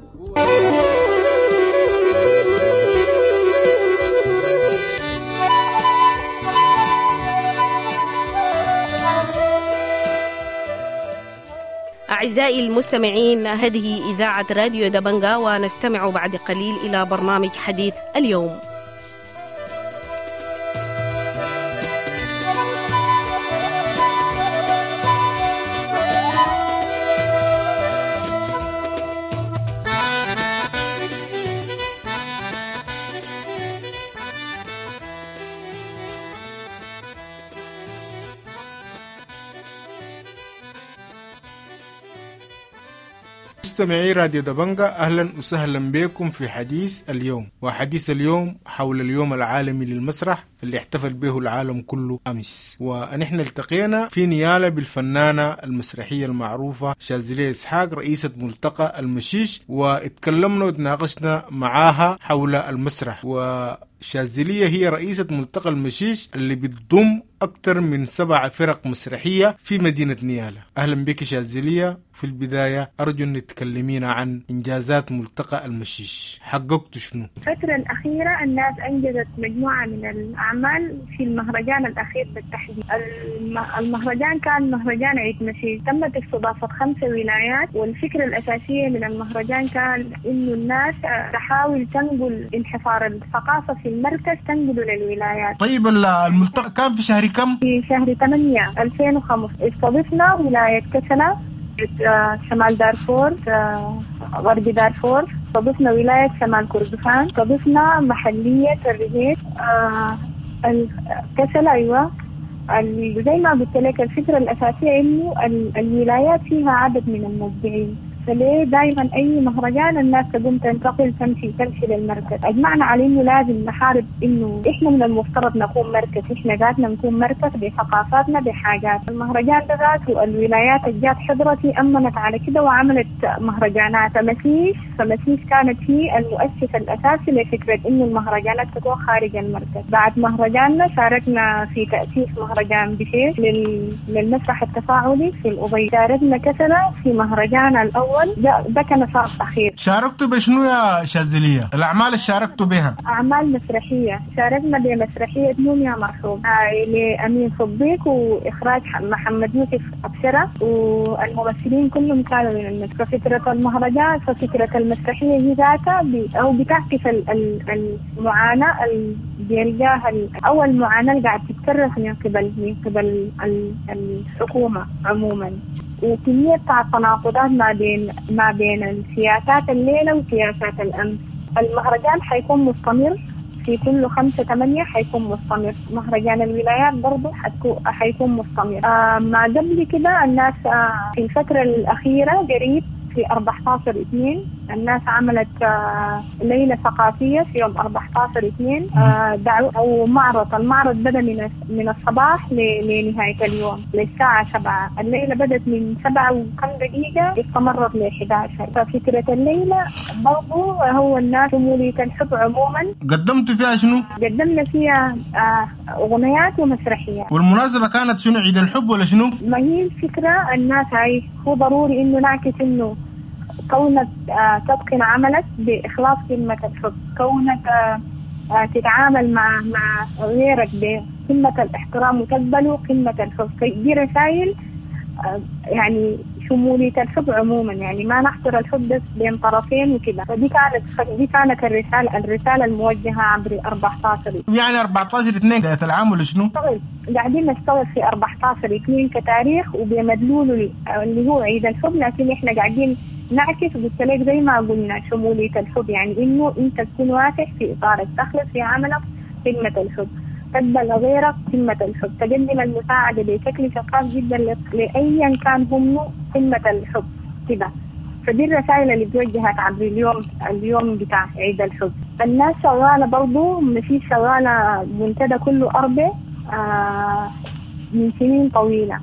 أعزائي المستمعين، هذه إذاعة راديو دبنجا، ونستمع بعد قليل إلى برنامج حديث اليوم. مستمعي راديو دبنجا، أهلا وسهلا بكم في حديث اليوم. وحديث اليوم حول اليوم العالمي للمسرح اللي احتفل به العالم كله أمس. ونحن التقينا في نيالة بالفنانة المسرحية المعروفة شاذلية إسحاق، رئيسة ملتقى المشيش، واتكلمنا وتناقشنا معاها حول المسرح. وشاذلية هي رئيسة ملتقى المشيش اللي بتضم أكثر من سبع فرق مسرحية في مدينة نيالة. أهلا بك شاذلية. في البداية أرجو أن تكلمينا عن إنجازات ملتقى المشيش، حققت شنو؟ الفترة الأخيرة الناس أنجزت مجموعة من الأعمال في المهرجان الأخير بالتحديد. المهرجان كان مهرجان عيد مشيش، تمت استضافة خمسة ولايات، والفكرة الأساسية من المهرجان كان إنه الناس تحاول تنقل انحصار الثقافة في المركز تنقله للولايات. طيب الملتقى كان في شهر كم؟ في شهر ثمانية ألفين وخمسة. استضفنا ولاية كسلا، شمال دارفور، غرب دارفور، استضفنا ولاية شمال كردفان، استضفنا محلية الرهيب، كسلا. أيوة، زي ما قلت لك الفكرة الأساسية إنه الولايات فيها عدد من المبدعين، فليه دائما أي مهرجان الناس تقوم تنتقل تمشي تمشي للمركز. أجمعنا على إنه لازم نحارب إنه إحنا من المفترض نكون مركز، إحنا ذاتنا نكون مركز بثقافاتنا بحاجات. المهرجان ده ذاته الولايات الجات حضرتي أمنت على كده وعملت مهرجانات. فمسيش فمسيش كانت هي المؤسس الأساسي لفكرة إنه المهرجانات تكون خارج المركز. بعد مهرجاننا شاركنا في تأسيس مهرجان بشيش لل... للمسرح التفاعلي في الأبيض. شاركنا كسلة في مهرجان الأول، ده, ده كان صار أخير. شاركتوا بشنو يا شاذلية؟ الأعمال اللي شاركتوا بها؟ أعمال مسرحية. شاركنا بمسرحية نوم يا مرحوم لأمين صديق وإخراج محمد يوسف أبشرة، والممثلين كلهم كانوا من المسرح. فكرة المهرجان فكرة المسرحية هي ذاتها أو بتعكس المعاناة اللي بيلقاها أو المعاناة اللي قاعد تتكرر من قبل من قبل الحكومة عموما، وكمية بتاع التناقضات ما بين ما بين السياسات الليلة وسياسات الأمس. المهرجان حيكون مستمر في كل خمسة ثمانية حيكون مستمر. مهرجان الولايات برضو حيكون مستمر. آه ما قبل كده الناس آه في الفترة الأخيرة قريب في أربعة عشر اثنين الناس عملت آه ليلة ثقافية في يوم أربعة عشر اثنين، آه دعو أو معرض. المعرض بدأ من من الصباح لنهاية اليوم للساعة سبعة. الليلة بدأت من سبعة وكم دقيقة استمرت ل إحدى عشر. ففكرة الليلة برضو هو الناس شمولية الحب عموما. قدمتوا فيها شنو؟ قدمنا فيها آه أغنيات ومسرحيات. والمناسبة كانت شنو؟ عيد الحب ولا شنو؟ ما هي الفكرة الناس هاي هو ضروري إنه نعكس إنه كونك تتقن عملك بإخلاص قمة الحب، كونك تتعامل مع مع غيرك بقمة الاحترام وتقبله قمة الحب. دي رسائل يعني شمولية الحب عموما، يعني ما نحصر الحب بس بين طرفين وكده. فدي كانت دي كانت الرسالة الرسالة الموجهة عبر أربعتاشر، يعني أربعتاشر اثنين بداية العام ولا شنو؟ قاعدين نشتغل في أربعتاشر اثنين كتاريخ وبمدلوله اللي هو عيد الحب، لكن احنا قاعدين نعكس قلت لك زي ما قلنا شمولية الحب، يعني انه انت تكون واسع في اطارك، تخلص في عملك قمة الحب، تقبل غيرك قمة الحب، تقدم المساعدة بشكل شفاف جدا لأيا كان هم قمة الحب كده. فدي الرسائل اللي توجهت عبر اليوم اليوم بتاع عيد الحب. الناس شغالة برضو، مفيش شغالة منتدى كله أربع آه من سنين طويلة.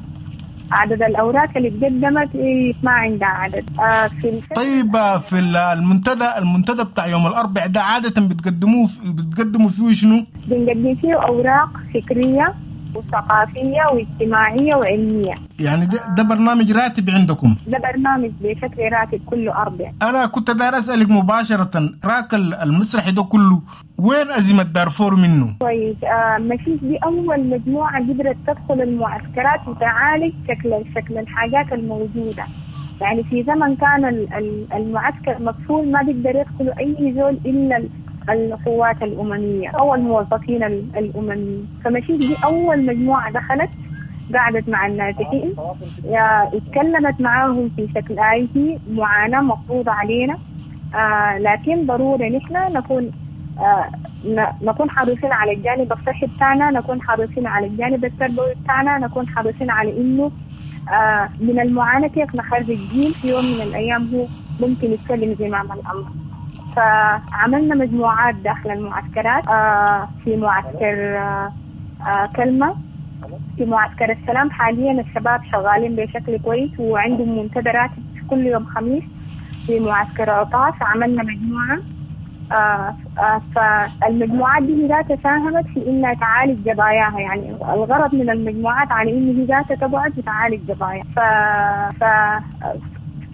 عدد الأوراق اللي اتقدمت ما عندها عدد. آه في طيب في المنتدى المنتدى بتاع يوم الأربع ده عادة بتقدموه بتقدموا فيه شنو؟ بنقدم فيه أوراق فكرية وثقافية واجتماعية وعلمية. يعني ده, ده برنامج راتب عندكم؟ ده برنامج بشكل راتب كله أربع. أنا كنت داير أسألك مباشرة، راك المسرحي ده كله وين أزمة دارفور منه؟ كويس. آه مشيش دي أول مجموعة قدرت تدخل المعسكرات وتعالج شكل شكل الحاجات الموجودة. يعني في زمن كان المعسكر مقفول، ما بيقدر يدخل أي زول إلا القوات الأممية أو الموظفين الأمميين. فمشيش دي أول مجموعة دخلت، قعدت مع النازحين، اتكلمت معاهم في شكل آيتي معاناة مفروضة علينا، آه لكن ضروري نحن نكون آه نكون حريصين على الجانب الصحي بتاعنا، نكون حريصين على الجانب التربوي بتاعنا، نكون حريصين على إنه آه من المعاناة كيف نخرج الجيل في يوم من الأيام هو ممكن يتكلم زمام الأمر. فعملنا مجموعات داخل المعسكرات، آه في معسكر آه آه كلمة، في معسكر السلام حاليا الشباب شغالين بشكل كويس وعندهم منتدى راتب كل يوم خميس. في معسكر عطاس عملنا مجموعة، آه آه فالمجموعات دي ذاتها ساهمت في انها تعالج قضاياها. يعني الغرض من المجموعات على ان هي ذاتها تقعد وتعالج قضايا. ف, ف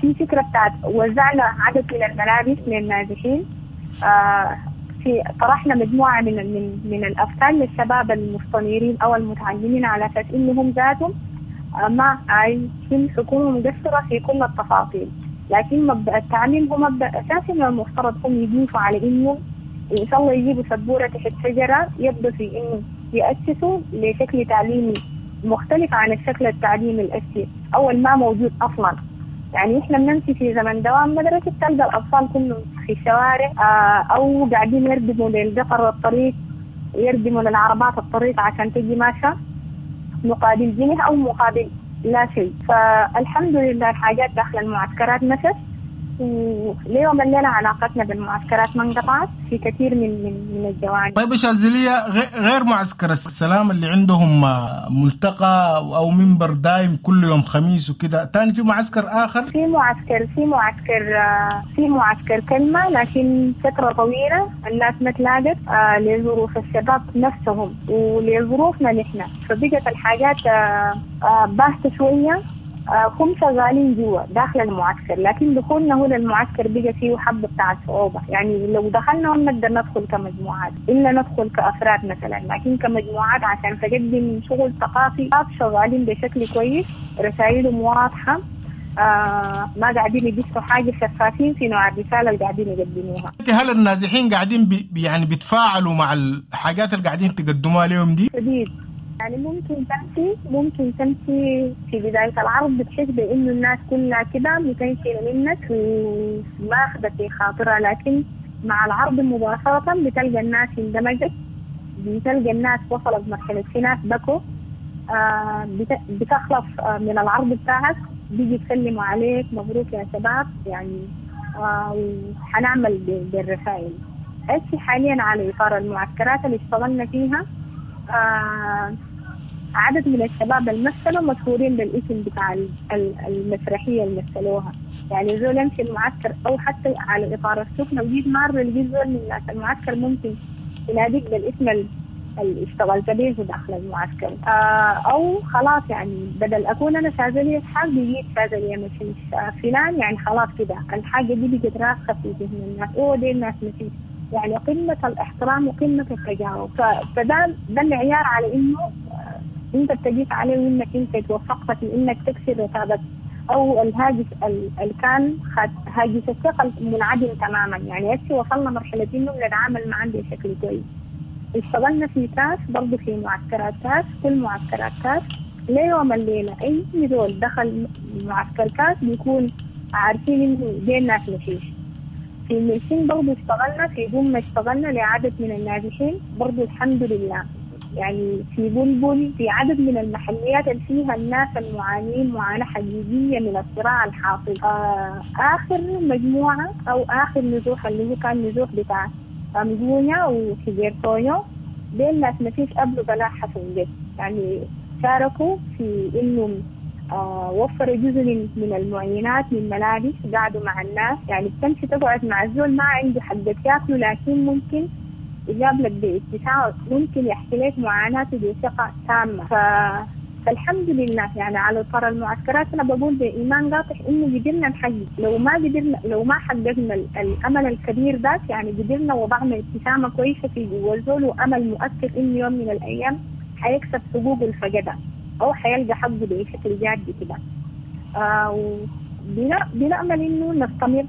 في فكرة بتاعت وزعنا عدد من الملابس للنازحين، آه في طرحنا مجموعة من من من الأفكار للشباب المستنيرين أو المتعلمين على أساس إنهم ذاتهم ما عايزين الحكومة مقصرة في كل التفاصيل، لكن مبدأ التعليم هو مبدأ أساسي من المفترض هم يضيفوا على إنه إن شاء الله يجيبوا سبورة تحت شجرة يبدو في إنه يأسسوا لشكل تعليمي مختلف عن الشكل التعليمي الأساسي أو ما موجود أصلاً. يعني إحنا بنمشي في زمن دوام مدرسة تلقى الأطفال كلهم في الشوارع، آه أو قاعدين يردموا للقطر الطريق، يردموا للعربات الطريق عشان تجي ماشية مقابل جنيه أو مقابل لا شيء. فالحمد لله الحاجات داخل المعسكرات مشت، وليوم الليلة علاقتنا بالمعسكرات ما انقطعت في كثير من من من الجوانب. طيب شاذلية، غير معسكر السلام اللي عندهم ملتقى أو منبر دايم كل يوم خميس وكده، تاني في معسكر آخر؟ في معسكر في معسكر في معسكر كلمة، لكن فترة طويلة الناس ما تلاقت لظروف الشباب نفسهم ولظروفنا نحن، فبقت الحاجات باهتة شوية. هم شغالين جوا داخل المعسكر، لكن دخولنا هنا المعسكر بقى فيه حبة بتاع صعوبة. يعني لو دخلنا هم نقدر ندخل كمجموعات، إلا ندخل كأفراد مثلا، لكن كمجموعات عشان تقدم شغل ثقافي شغالين بشكل كويس، رسائلهم واضحة، آه ما قاعدين يدسوا حاجة، شفافين في نوع الرسالة اللي قاعدين يقدموها. هل النازحين قاعدين بي يعني بيتفاعلوا مع الحاجات اللي قاعدين تقدموها لهم دي؟ شديد. يعني ممكن تمشي ممكن تمشي في بداية العرض بتحس بإنه الناس كلها كده متنشنة منك وماخذة في خاطرها، لكن مع العرض مباشرة بتلقى الناس اندمجت، بتلقى الناس وصلت مرحلة في ناس بكوا، آه بتخلص آه من العرض بتاعك بيجي يسلموا عليك مبروك يا شباب، يعني آه وحنعمل بالرسائل. هسي حاليا على إطار المعسكرات اللي اشتغلنا فيها آه عدد من الشباب المثلوا مشهورين بالاسم بتاع المسرحية اللي مثلوها. يعني زول يمشي المعسكر أو حتى على إطار السوق لو جيت مرة لقيت زول من الناس المعسكر ممكن يناديك بالاسم اللي اشتغلت به داخل المعسكر، آه أو خلاص يعني بدل أكون أنا شاذلية إسحاق بيجيت شاذلية مشيش فلان، يعني خلاص كده الحاجة دي بقت راسخة في ذهن الناس، أوه دي الناس مشيش. يعني قمة الاحترام وقمة التجاوب، فده ده المعيار على إنه أنت بتجيس عليه وإنك أنت توفقت في إنك تكسر رتابة أو الهاجس اللي كان هاجس الثقة منعدم تماما. يعني هسه وصلنا مرحلة إنه بنتعامل معاه بشكل كويس. اشتغلنا في كاس برضه في معسكرات كاس، كل معسكرات كاس ليوم الليلة أي زول دخل معسكر كاس بيكون عارفين إنه دي الناس مفيش. في المرسين برضه اشتغلنا، في بوم اشتغلنا لعدد من النازحين برضه الحمد لله. يعني في بلبل في عدد من المحليات اللي فيها الناس المعانين معاناة حقيقية من الصراع الحاصل. آه آخر مجموعة أو آخر نزوح اللي هو كان نزوح بتاع أمجونيا وحجيرتونيو، دي الناس ما فيش قبله بلاء حسن جد. يعني شاركوا في إنه آه وفروا جزء من, من المعينات من ملابس، قعدوا مع الناس. يعني بتمشي تقعد مع الزول ما عنده حق ياكله، لكن ممكن يقابلك باتساع، ممكن يحكي لك معاناته بثقة تامة. ف... فالحمد لله يعني على طر المعسكرات أنا بقول بإيمان قاطع إنه قدرنا نحقق. لو ما قدرنا، لو ما حققنا الأمل الكبير ذاك، يعني قدرنا وضعنا ابتسامة كويسة في جوا الزول وأمل مؤثر إنه يوم من الأيام حيكسب حقوقه الفقدة أو حيلقى حقه بشكل جاد كده. آه بنأمل إنه نستمر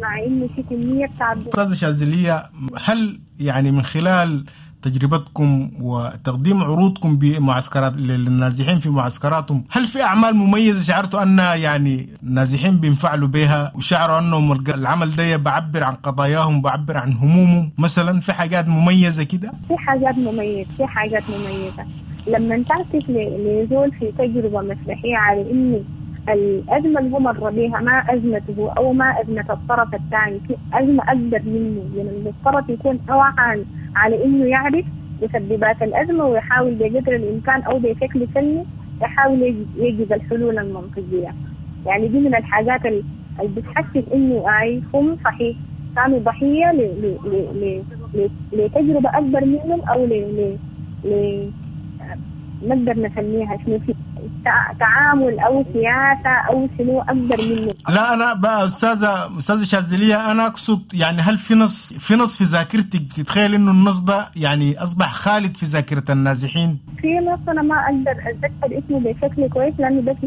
مع إنه في كمية تعب. أستاذة شاذلية، هل يعني من خلال تجربتكم وتقديم عروضكم بمعسكرات للنازحين في معسكراتهم، هل في أعمال مميزة شعرتوا أن يعني النازحين بينفعلوا بها وشعروا أنهم العمل ده بعبر عن قضاياهم، بعبر عن همومهم مثلا؟ في حاجات مميزة كده؟ في حاجات مميزة، في حاجات مميزة لما تعكس لزول في تجربة مسرحية على إنه الأزمة اللي هو مر بيها ما أزمته أو ما أزمة الطرف الثاني، في أزمة أكبر منه. من المفترض يكون أوعى على إنه يعرف مسببات الأزمة ويحاول بقدر الإمكان أو بشكل سلمي يحاول يجد الحلول المنطقية. يعني دي من الحاجات اللي بتحسس إنه أي هم صحيح كانوا ضحية لتجربة أكبر منهم أو ل ل نقدر نسميها شنو في تعامل أو سياسة أو شنو أكبر منه. لا أنا بقى أستاذة أستاذة شاذلية، أنا أقصد يعني هل في نص في نص في ذاكرتك تتخيل إنه النص ده يعني أصبح خالد في ذاكرة النازحين؟ في نص أنا ما أقدر أتذكر اسمه بشكل كويس لأنه بس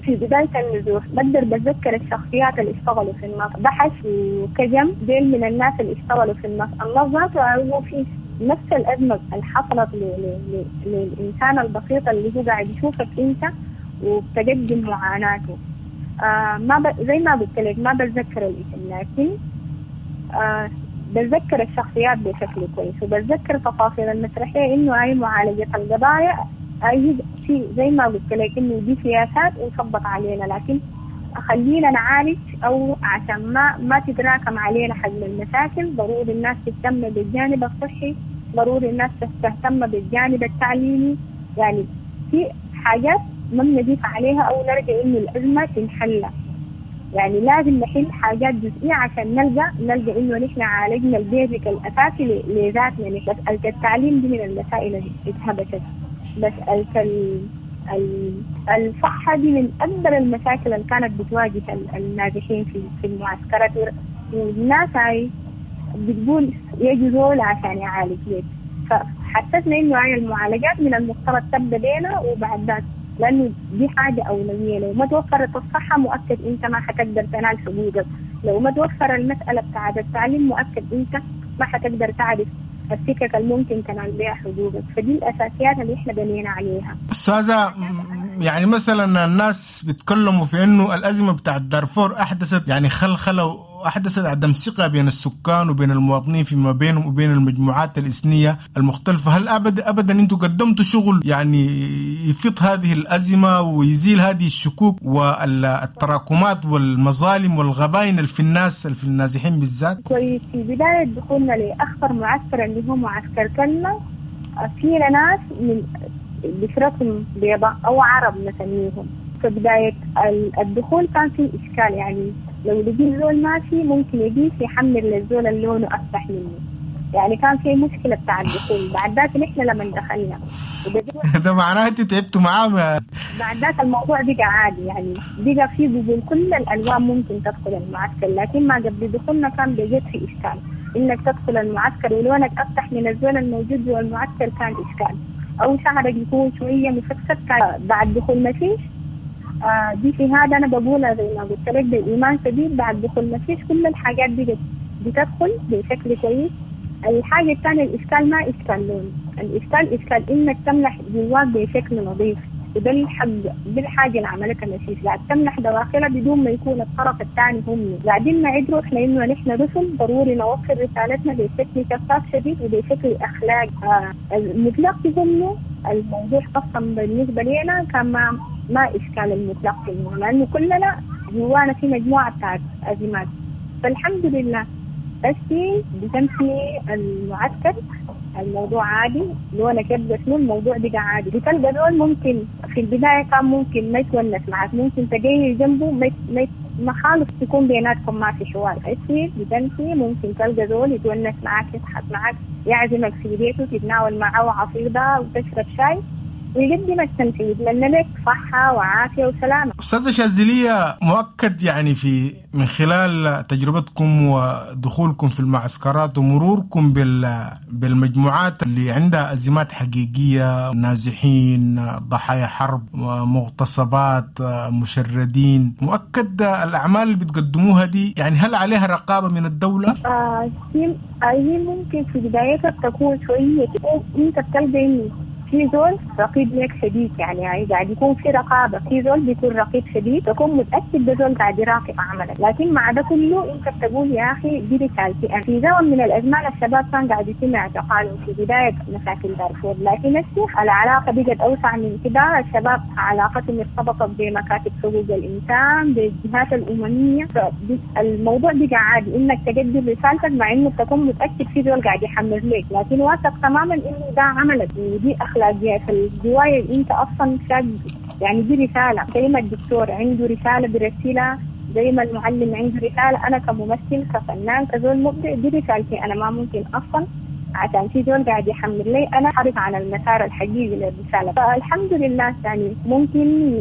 في بداية النزوح، بقدر بتذكر الشخصيات اللي اشتغلوا في النص، بحث وكجم ديل من الناس اللي اشتغلوا في النص. النص ذاته هو في نفس الأزمة اللي حصلت للإنسان البسيط اللي هو قاعد يشوفك أنت وبتقدم معاناته. آه ما ب... زي ما قلت لك ما بتذكر الاسم، لكن آه بتذكر الشخصيات بشكل كويس وبتذكر تفاصيل المسرحية إنه هاي معالجة القضايا أي في زي ما قلت لك إنه دي سياسات وصبت علينا، لكن خلينا نعالج أو عشان ما ما تتراكم علينا حجم المشاكل. ضروري الناس تهتم بالجانب الصحي، ضروري الناس تهتم بالجانب التعليمي. يعني في حاجات ما بنضيف عليها أو نرجع إنه الأزمة تنحل. يعني لازم نحل حاجات جزئية عشان نلقى نلقى إنه نحن عالجنا البيزك الأساسي لذاتنا. مسألة التعليم دي من المسائل اللي اتهبشت، مسألة الصحة دي من أكبر المشاكل اللي كانت بتواجه النازحين في في المعسكرات. والناس هاي بتقول يجوا زول عشان يعالج لك، فحسسنا إنه هاي المعالجات من المفترض تبدأ بينا وبعد ذاك، لأنه دي حاجة أولوية. لو ما توفرت الصحة مؤكد أنت ما حتقدر تنال حقوقك، لو ما توفر المسألة بتاعت التعليم مؤكد أنت ما حتقدر تعرف السكك الممكن تنال بها حقوقك. فدي الأساسيات اللي إحنا بنينا عليها. أستاذة، يعني مثلا الناس بيتكلموا في إنه الأزمة بتاعت دارفور أحدثت يعني خلخلة وأحدثت عدم ثقة بين السكان وبين المواطنين فيما بينهم وبين المجموعات الإثنية المختلفة. هل أبدا أبدا أنتم قدمتوا شغل يعني يفض هذه الأزمة ويزيل هذه الشكوك والتراكمات والمظالم والغباين اللي في الناس اللي في النازحين بالذات؟ كويس. في بداية دخولنا لأخطر معسكر اللي هو معسكر كلمة، فينا ناس من بشرتهم بيضاء أو عرب نسميهم. في بداية الدخول كان في إشكال، يعني لو لقي زول ماشي ممكن يجي يحمل للزول اللي لونه أفتح منه، يعني كان في مشكلة بتاع الدخول. بعد ذاك نحن لما دخلنا ده معناه أنت تعبتوا معاه. بعد ذاك الموضوع بقى عادي، يعني بقى في قبول كل الألوان ممكن تدخل المعسكر، لكن ما قبل دخولنا كان بجد في إشكال إنك تدخل المعسكر ولونك أفتح من الزول الموجود جوا المعسكر كان إشكال، أو شعرك يكون شوية مفكسك. كان بعد دخول ما فيش آه دي شهادة أنا بقولها زي ما قلت لك بإيمان شديد. بعد دخول مشيش كل الحاجات دي بتدخل بشكل كويس. الحاجة الثانية الإشكال ما إشكال لون، الإشكال إشكال إنك تمنح جواك بشكل نظيف، وده الحق دي الحاجة اللي عملتها مشيش، قاعد تمنح دواخلها بدون ما يكون الطرف الثاني هم قاعدين نعد روحنا إنه نحن رسل، ضروري نوصل رسالتنا بشكل شفاف شديد وبشكل أخلاقي. آه المتلقي منه الموضوع أصلا بالنسبة لنا كان ما ما إشكال المتلقي منه، لأنه كلنا جوانا في مجموعة بتاعت أزمات. فالحمد لله بس بتمشي المعسكر الموضوع عادي، لونك يبقى شنو الموضوع بقى عادي. بتلقى دول ممكن في البداية كان ممكن ما يتونس معك، ممكن تجي جنبه ما ما ما خالص تكون بيناتكم ما في حوار. هسي بتمشي ممكن تلقى زول يتونس معك، يضحك معك، يعزمك في بيته، تتناول معه عصيدة وتشرب شاي ويقدمك تمشي، يتمنى لك صحة وعافية وسلامة. أستاذة شاذلية، مؤكد يعني في من خلال تجربتكم ودخولكم في المعسكرات ومروركم بالمجموعات اللي عندها أزمات حقيقية، نازحين، ضحايا حرب، مغتصبات، مشردين، مؤكد الأعمال اللي بتقدموها دي يعني هل عليها رقابة من الدولة؟ آه هي ممكن في بدايتها تكون شوية، أنت بتلقى في زول رقيب لك شديد، يعني قاعد يكون في رقابة، في زول بيكون رقيب شديد، تكون متأكد ده زول قاعد يراقب عملك. لكن مع ده كله انت بتقول يا اخي دي رسالتي انا. في زمن من الازمان الشباب كان قاعد يتم اعتقالهم في بداية مشاكل دارفور، لكن هسه العلاقة بقت اوسع من كده. الشباب علاقتهم ارتبطت بمكاتب حقوق الانسان، بالجهات الاممية، الموضوع بقى عادي انك تقدم رسالتك مع انه تكون متأكد في زول قاعد يحمر لك، لكن واثق تماما انه ده عملك ودي اخلاقيات الجوايا اللي انت اصلا شاق. يعني دي رساله، زي ما الدكتور عنده رساله برسيلها، زي ما المعلم عنده رساله، انا كممثل كفنان كزول مبدع دي رسالتي انا، ما ممكن اصلا عشان في زول قاعد يحمل لي انا حرف عن المسار الحقيقي للرساله. فالحمد لله يعني ممكن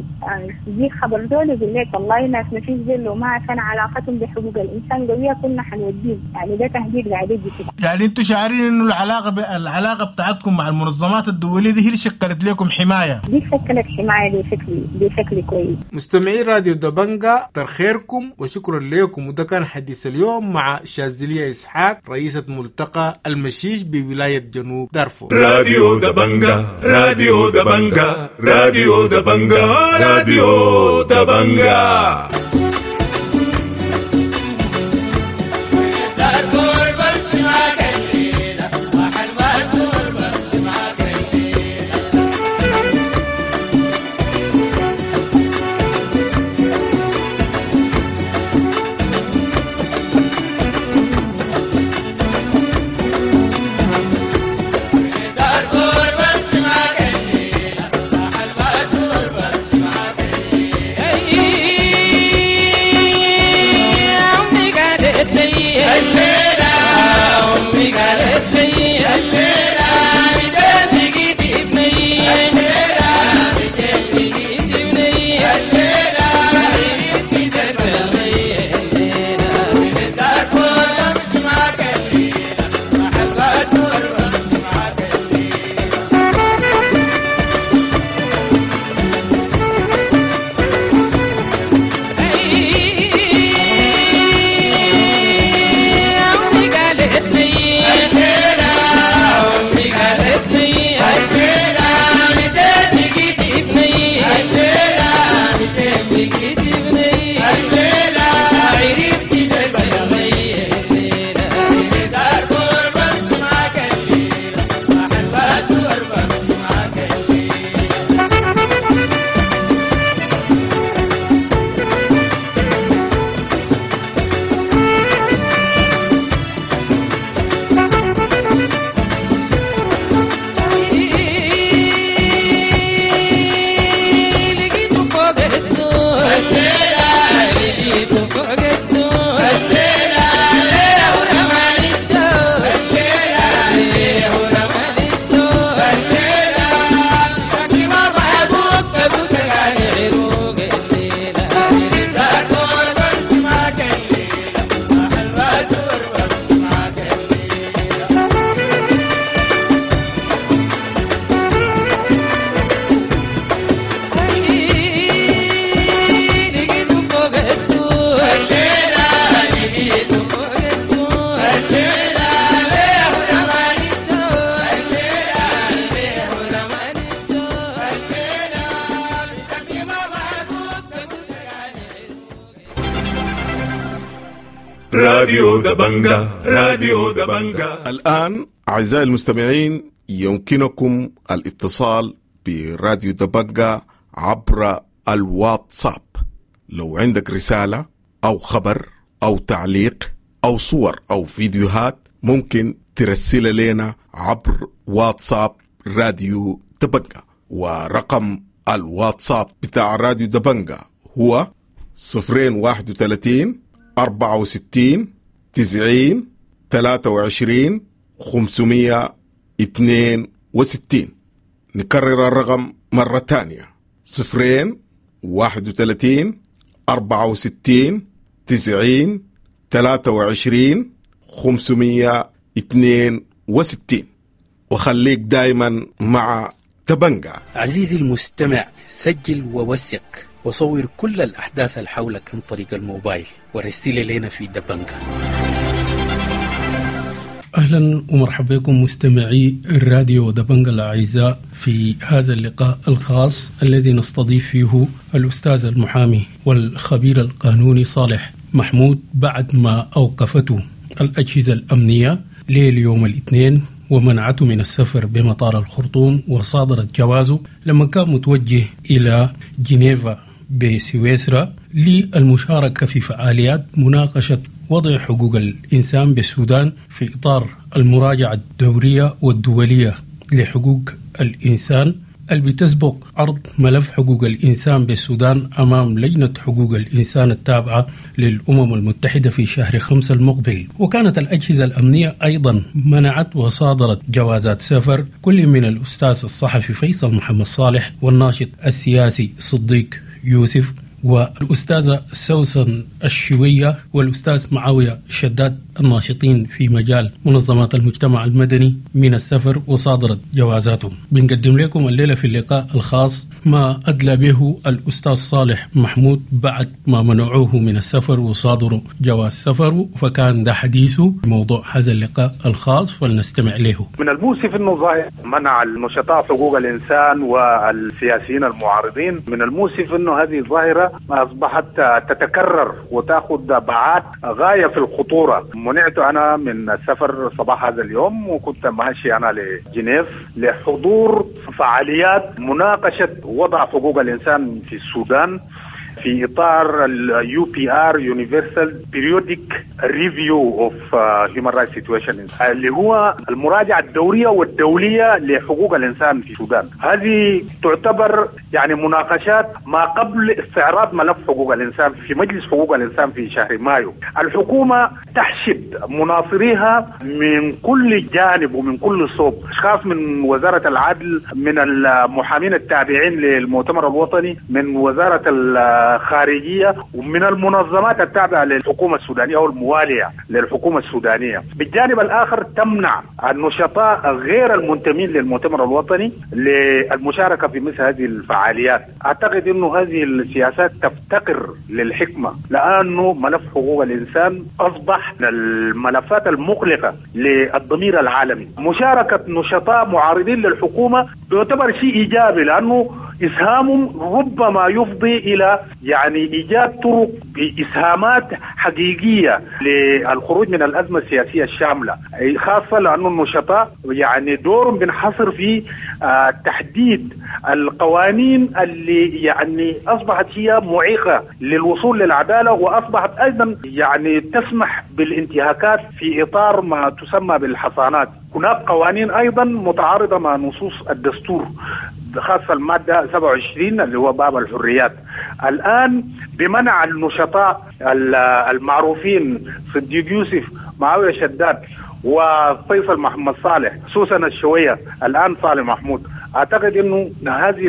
يجي خبر زول يقول لك والله ناس ما فيش زول وما عشان علاقتهم بحقوق الانسان قويه كنا حنوديهم، يعني ده تهديد قاعد يجي كده. يعني انتم شاعرين انه العلاقه ب... العلاقه بتاعتكم مع المنظمات الدوليه دي هي اللي شكلت لكم حمايه؟ دي شكلت حمايه بشكل بشكل كويس. مستمعي راديو دبنجا، كتر خيركم وشكرا لكم. وده كان حديث اليوم مع شاذلية اسحاق رئيسه ملتقى المشيش بولاية جنوب دارفور. راديو دبنجا، راديو دبنجا، راديو دبنجا، راديو دبنجا. Hey! راديو دبنجا، راديو دبنجا. الآن أعزائي المستمعين يمكنكم الاتصال براديو دبنجا عبر الواتساب. لو عندك رسالة أو خبر أو تعليق أو صور أو فيديوهات ممكن ترسل لنا عبر واتساب راديو دبنجا، ورقم الواتساب بتاع راديو دبنجا هو صفرين واحد وثلاثين أربعة وستين تسعين ثلاثة وعشرين خمسمية اثنين وستين. نكرر الرقم مرة تانية: صفرين واحد وثلاثين أربعة وستين تسعين ثلاثة وعشرين خمسمية اثنين وستين. وخليك دايما مع دبنجا. عزيزي المستمع، سجل ووثق وصور كل الأحداث اللي حولك عن طريق الموبايل ورسل لنا في دبنجا. أهلا ومرحبا بكم مستمعي الراديو دبنجا الأعزاء في هذا اللقاء الخاص الذي نستضيف فيه الأستاذ المحامي والخبير القانوني صالح محمود بعد ما أوقفته الأجهزة الأمنية ليل يوم الاثنين ومنعته من السفر بمطار الخرطوم وصادرت جوازه لما كان متوجه إلى جنيفا بسويسرا للمشاركة في فعاليات مناقشة وضع حقوق الإنسان بالسودان في إطار المراجعة الدورية والدولية لحقوق الإنسان اللي بتسبق عرض ملف حقوق الإنسان بالسودان أمام لجنة حقوق الإنسان التابعة للأمم المتحدة في شهر خمسة المقبل. وكانت الأجهزة الأمنية أيضا منعت وصادرت جوازات سفر كل من الأستاذ الصحفي فيصل محمد صالح والناشط السياسي صديق يوسف والأستاذة سوسن الشوية والأستاذ معاوية شداد الناشطين في مجال منظمات المجتمع المدني من السفر وصادرت جوازاتهم. بنقدم لكم الليلة في اللقاء الخاص ما أدلى به الأستاذ صالح محمود بعد ما منعوه من السفر وصادروا جواز سفره، فكان ده حديثه موضوع هذا اللقاء الخاص، فلنستمع له. من المؤسف أنه ظاهر منع النشطاء حقوق الإنسان والسياسيين المعارضين. من المؤسف أنه هذه الظاهرة أصبحت تتكرر وتأخذ بعاد غاية في الخطورة. منعت أنا من السفر صباح هذا اليوم، وكنت ماشي أنا لجنيف لحضور فعاليات مناقشة وضع حقوق الإنسان في السودان في إطار ال يو بي آر Universal Periodic Review of Human Rights Situation، اللي هو المراجعة الدورية والدولية لحقوق الإنسان في السودان. هذه تعتبر يعني مناقشات ما قبل استعراض ملف حقوق الإنسان في مجلس حقوق الإنسان في شهر مايو. الحكومة تحشد مناصريها من كل جانب ومن كل صوب، أشخاص من وزارة العدل، من المحامين التابعين للمؤتمر الوطني، من وزارة الخارجية، ومن المنظمات التابعة للحكومة السودانية أو الموالية للحكومة السودانية. بالجانب الآخر تمنع النشطاء غير المنتمين للمؤتمر الوطني للمشاركة في مثل هذه الفعاليات. أعتقد أنه هذه السياسات تفتقر للحكمة، لأنه ملف حقوق الإنسان أصبح من الملفات المقلقة للضمير العالمي. مشاركة نشطاء معارضين للحكومة يعتبر شيء إيجابي، لأنه إسهامهم ربما يفضي إلى يعني إيجاد طرق بإسهامات حقيقية للخروج من الأزمة السياسية الشاملة، خاصة لأن النشطاء يعني دورهم بينحصر في تحديد القوانين اللي يعني أصبحت هي معيقة للوصول للعدالة، وأصبحت أيضا يعني تسمح بالانتهاكات في إطار ما تسمى بالحصانات. هناك قوانين أيضا متعارضة مع نصوص الدستور، خاصة المادة سبعة وعشرين اللي هو باب الحريات. الآن بمنع النشطاء المعروفين صديق يوسف، معاوية شداد، وفيصل محمد صالح، سوسن الشوية، الآن صالح محمود، أعتقد أنه هذه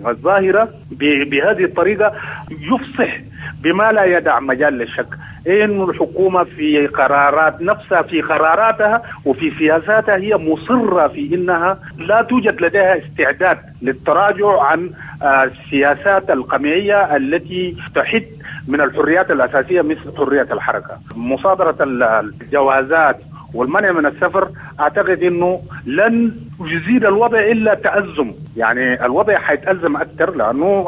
الظاهرة بهذه الطريقة يفصح بما لا يدع مجال للشك إن الحكومة في قرارات نفسها، في قراراتها وفي سياساتها، هي مصرة في إنها لا توجد لديها استعداد للتراجع عن السياسات القمعية التي تحد من الحريات الأساسية مثل حرية الحركة. مصادرة الجوازات والمنع من السفر أعتقد أنه لن يزيد الوضع إلا تأزم، يعني الوضع حيتأزم أكثر لأنه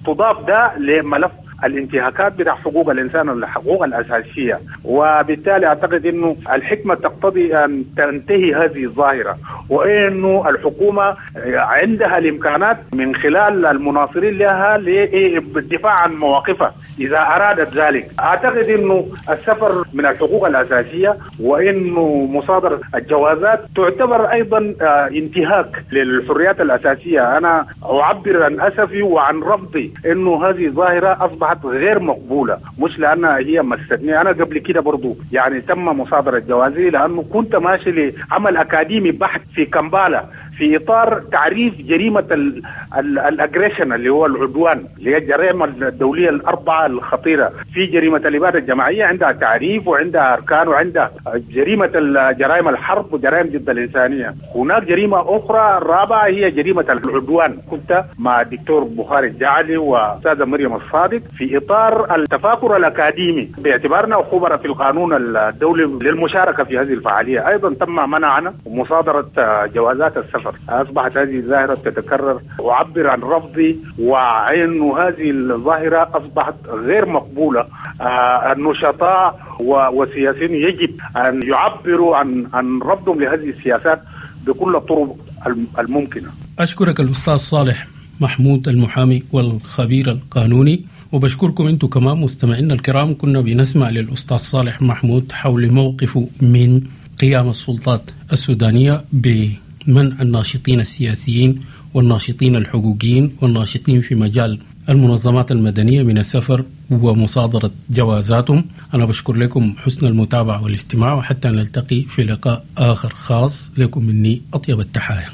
تضاف ده لملف الانتهاكات بتاع حقوق الإنسان والحقوق الأساسية. وبالتالي أعتقد أنه الحكمة تقتضي أن تنتهي هذه الظاهرة، وأنه الحكومة عندها الإمكانات من خلال المناصرين لها للدفاع عن مواقفها إذا أرادت ذلك. أعتقد أنه السفر من الحقوق الأساسية، وأنه مصادرة الجوازات تعتبر أيضا انتهاك للحريات الأساسية. أنا أعبر عن أسفي وعن رفضي أنه هذه الظاهرة أصبحت غير مقبولة، مش لأنها هي مستنية. أنا قبل كده برضو يعني تم مصادرة جوازي لأنه كنت ماشي لعمل أكاديمي بحث في كمبالا في إطار تعريف جريمة الأجريشن اللي هو العدوان، اللي هي الجريمة الدولية الأربعة الخطيرة. في جريمة الإبادة الجماعية عندها تعريف وعندها أركان، وعندها جريمة جرائم الحرب وجرائم ضد الإنسانية. هناك جريمة أخرى الرابعة هي جريمة العدوان. كنت مع الدكتور بخاري الجعلي وأستاذة مريم الصادق في إطار التفاكر الأكاديمي باعتبارنا خبراء في القانون الدولي للمشاركة في هذه الفعالية. أيضا تم منعنا ومصادرة جوازات السفر. أصبحت هذه الظاهرة تتكرر. أعبر عن رفضي وعن هذه الظاهرة أصبحت غير مقبولة. آه النشطاء والسياسيين يجب أن يعبروا عن عن رفضهم لهذه السياسات بكل الطرق الممكنة. أشكرك الأستاذ صالح محمود المحامي والخبير القانوني، وبشكركم أنتم كمان مستمعينا الكرام. كنا بنسمع للأستاذ صالح محمود حول موقفه من قيام السلطات السودانية بمنع الناشطين السياسيين والناشطين الحقوقيين والناشطين في مجال المنظمات المدنية من السفر ومصادرة جوازاتهم. أنا بشكر لكم حسن المتابعة والاستماع، وحتى نلتقي في لقاء آخر خاص. لكم مني أطيب التحايا.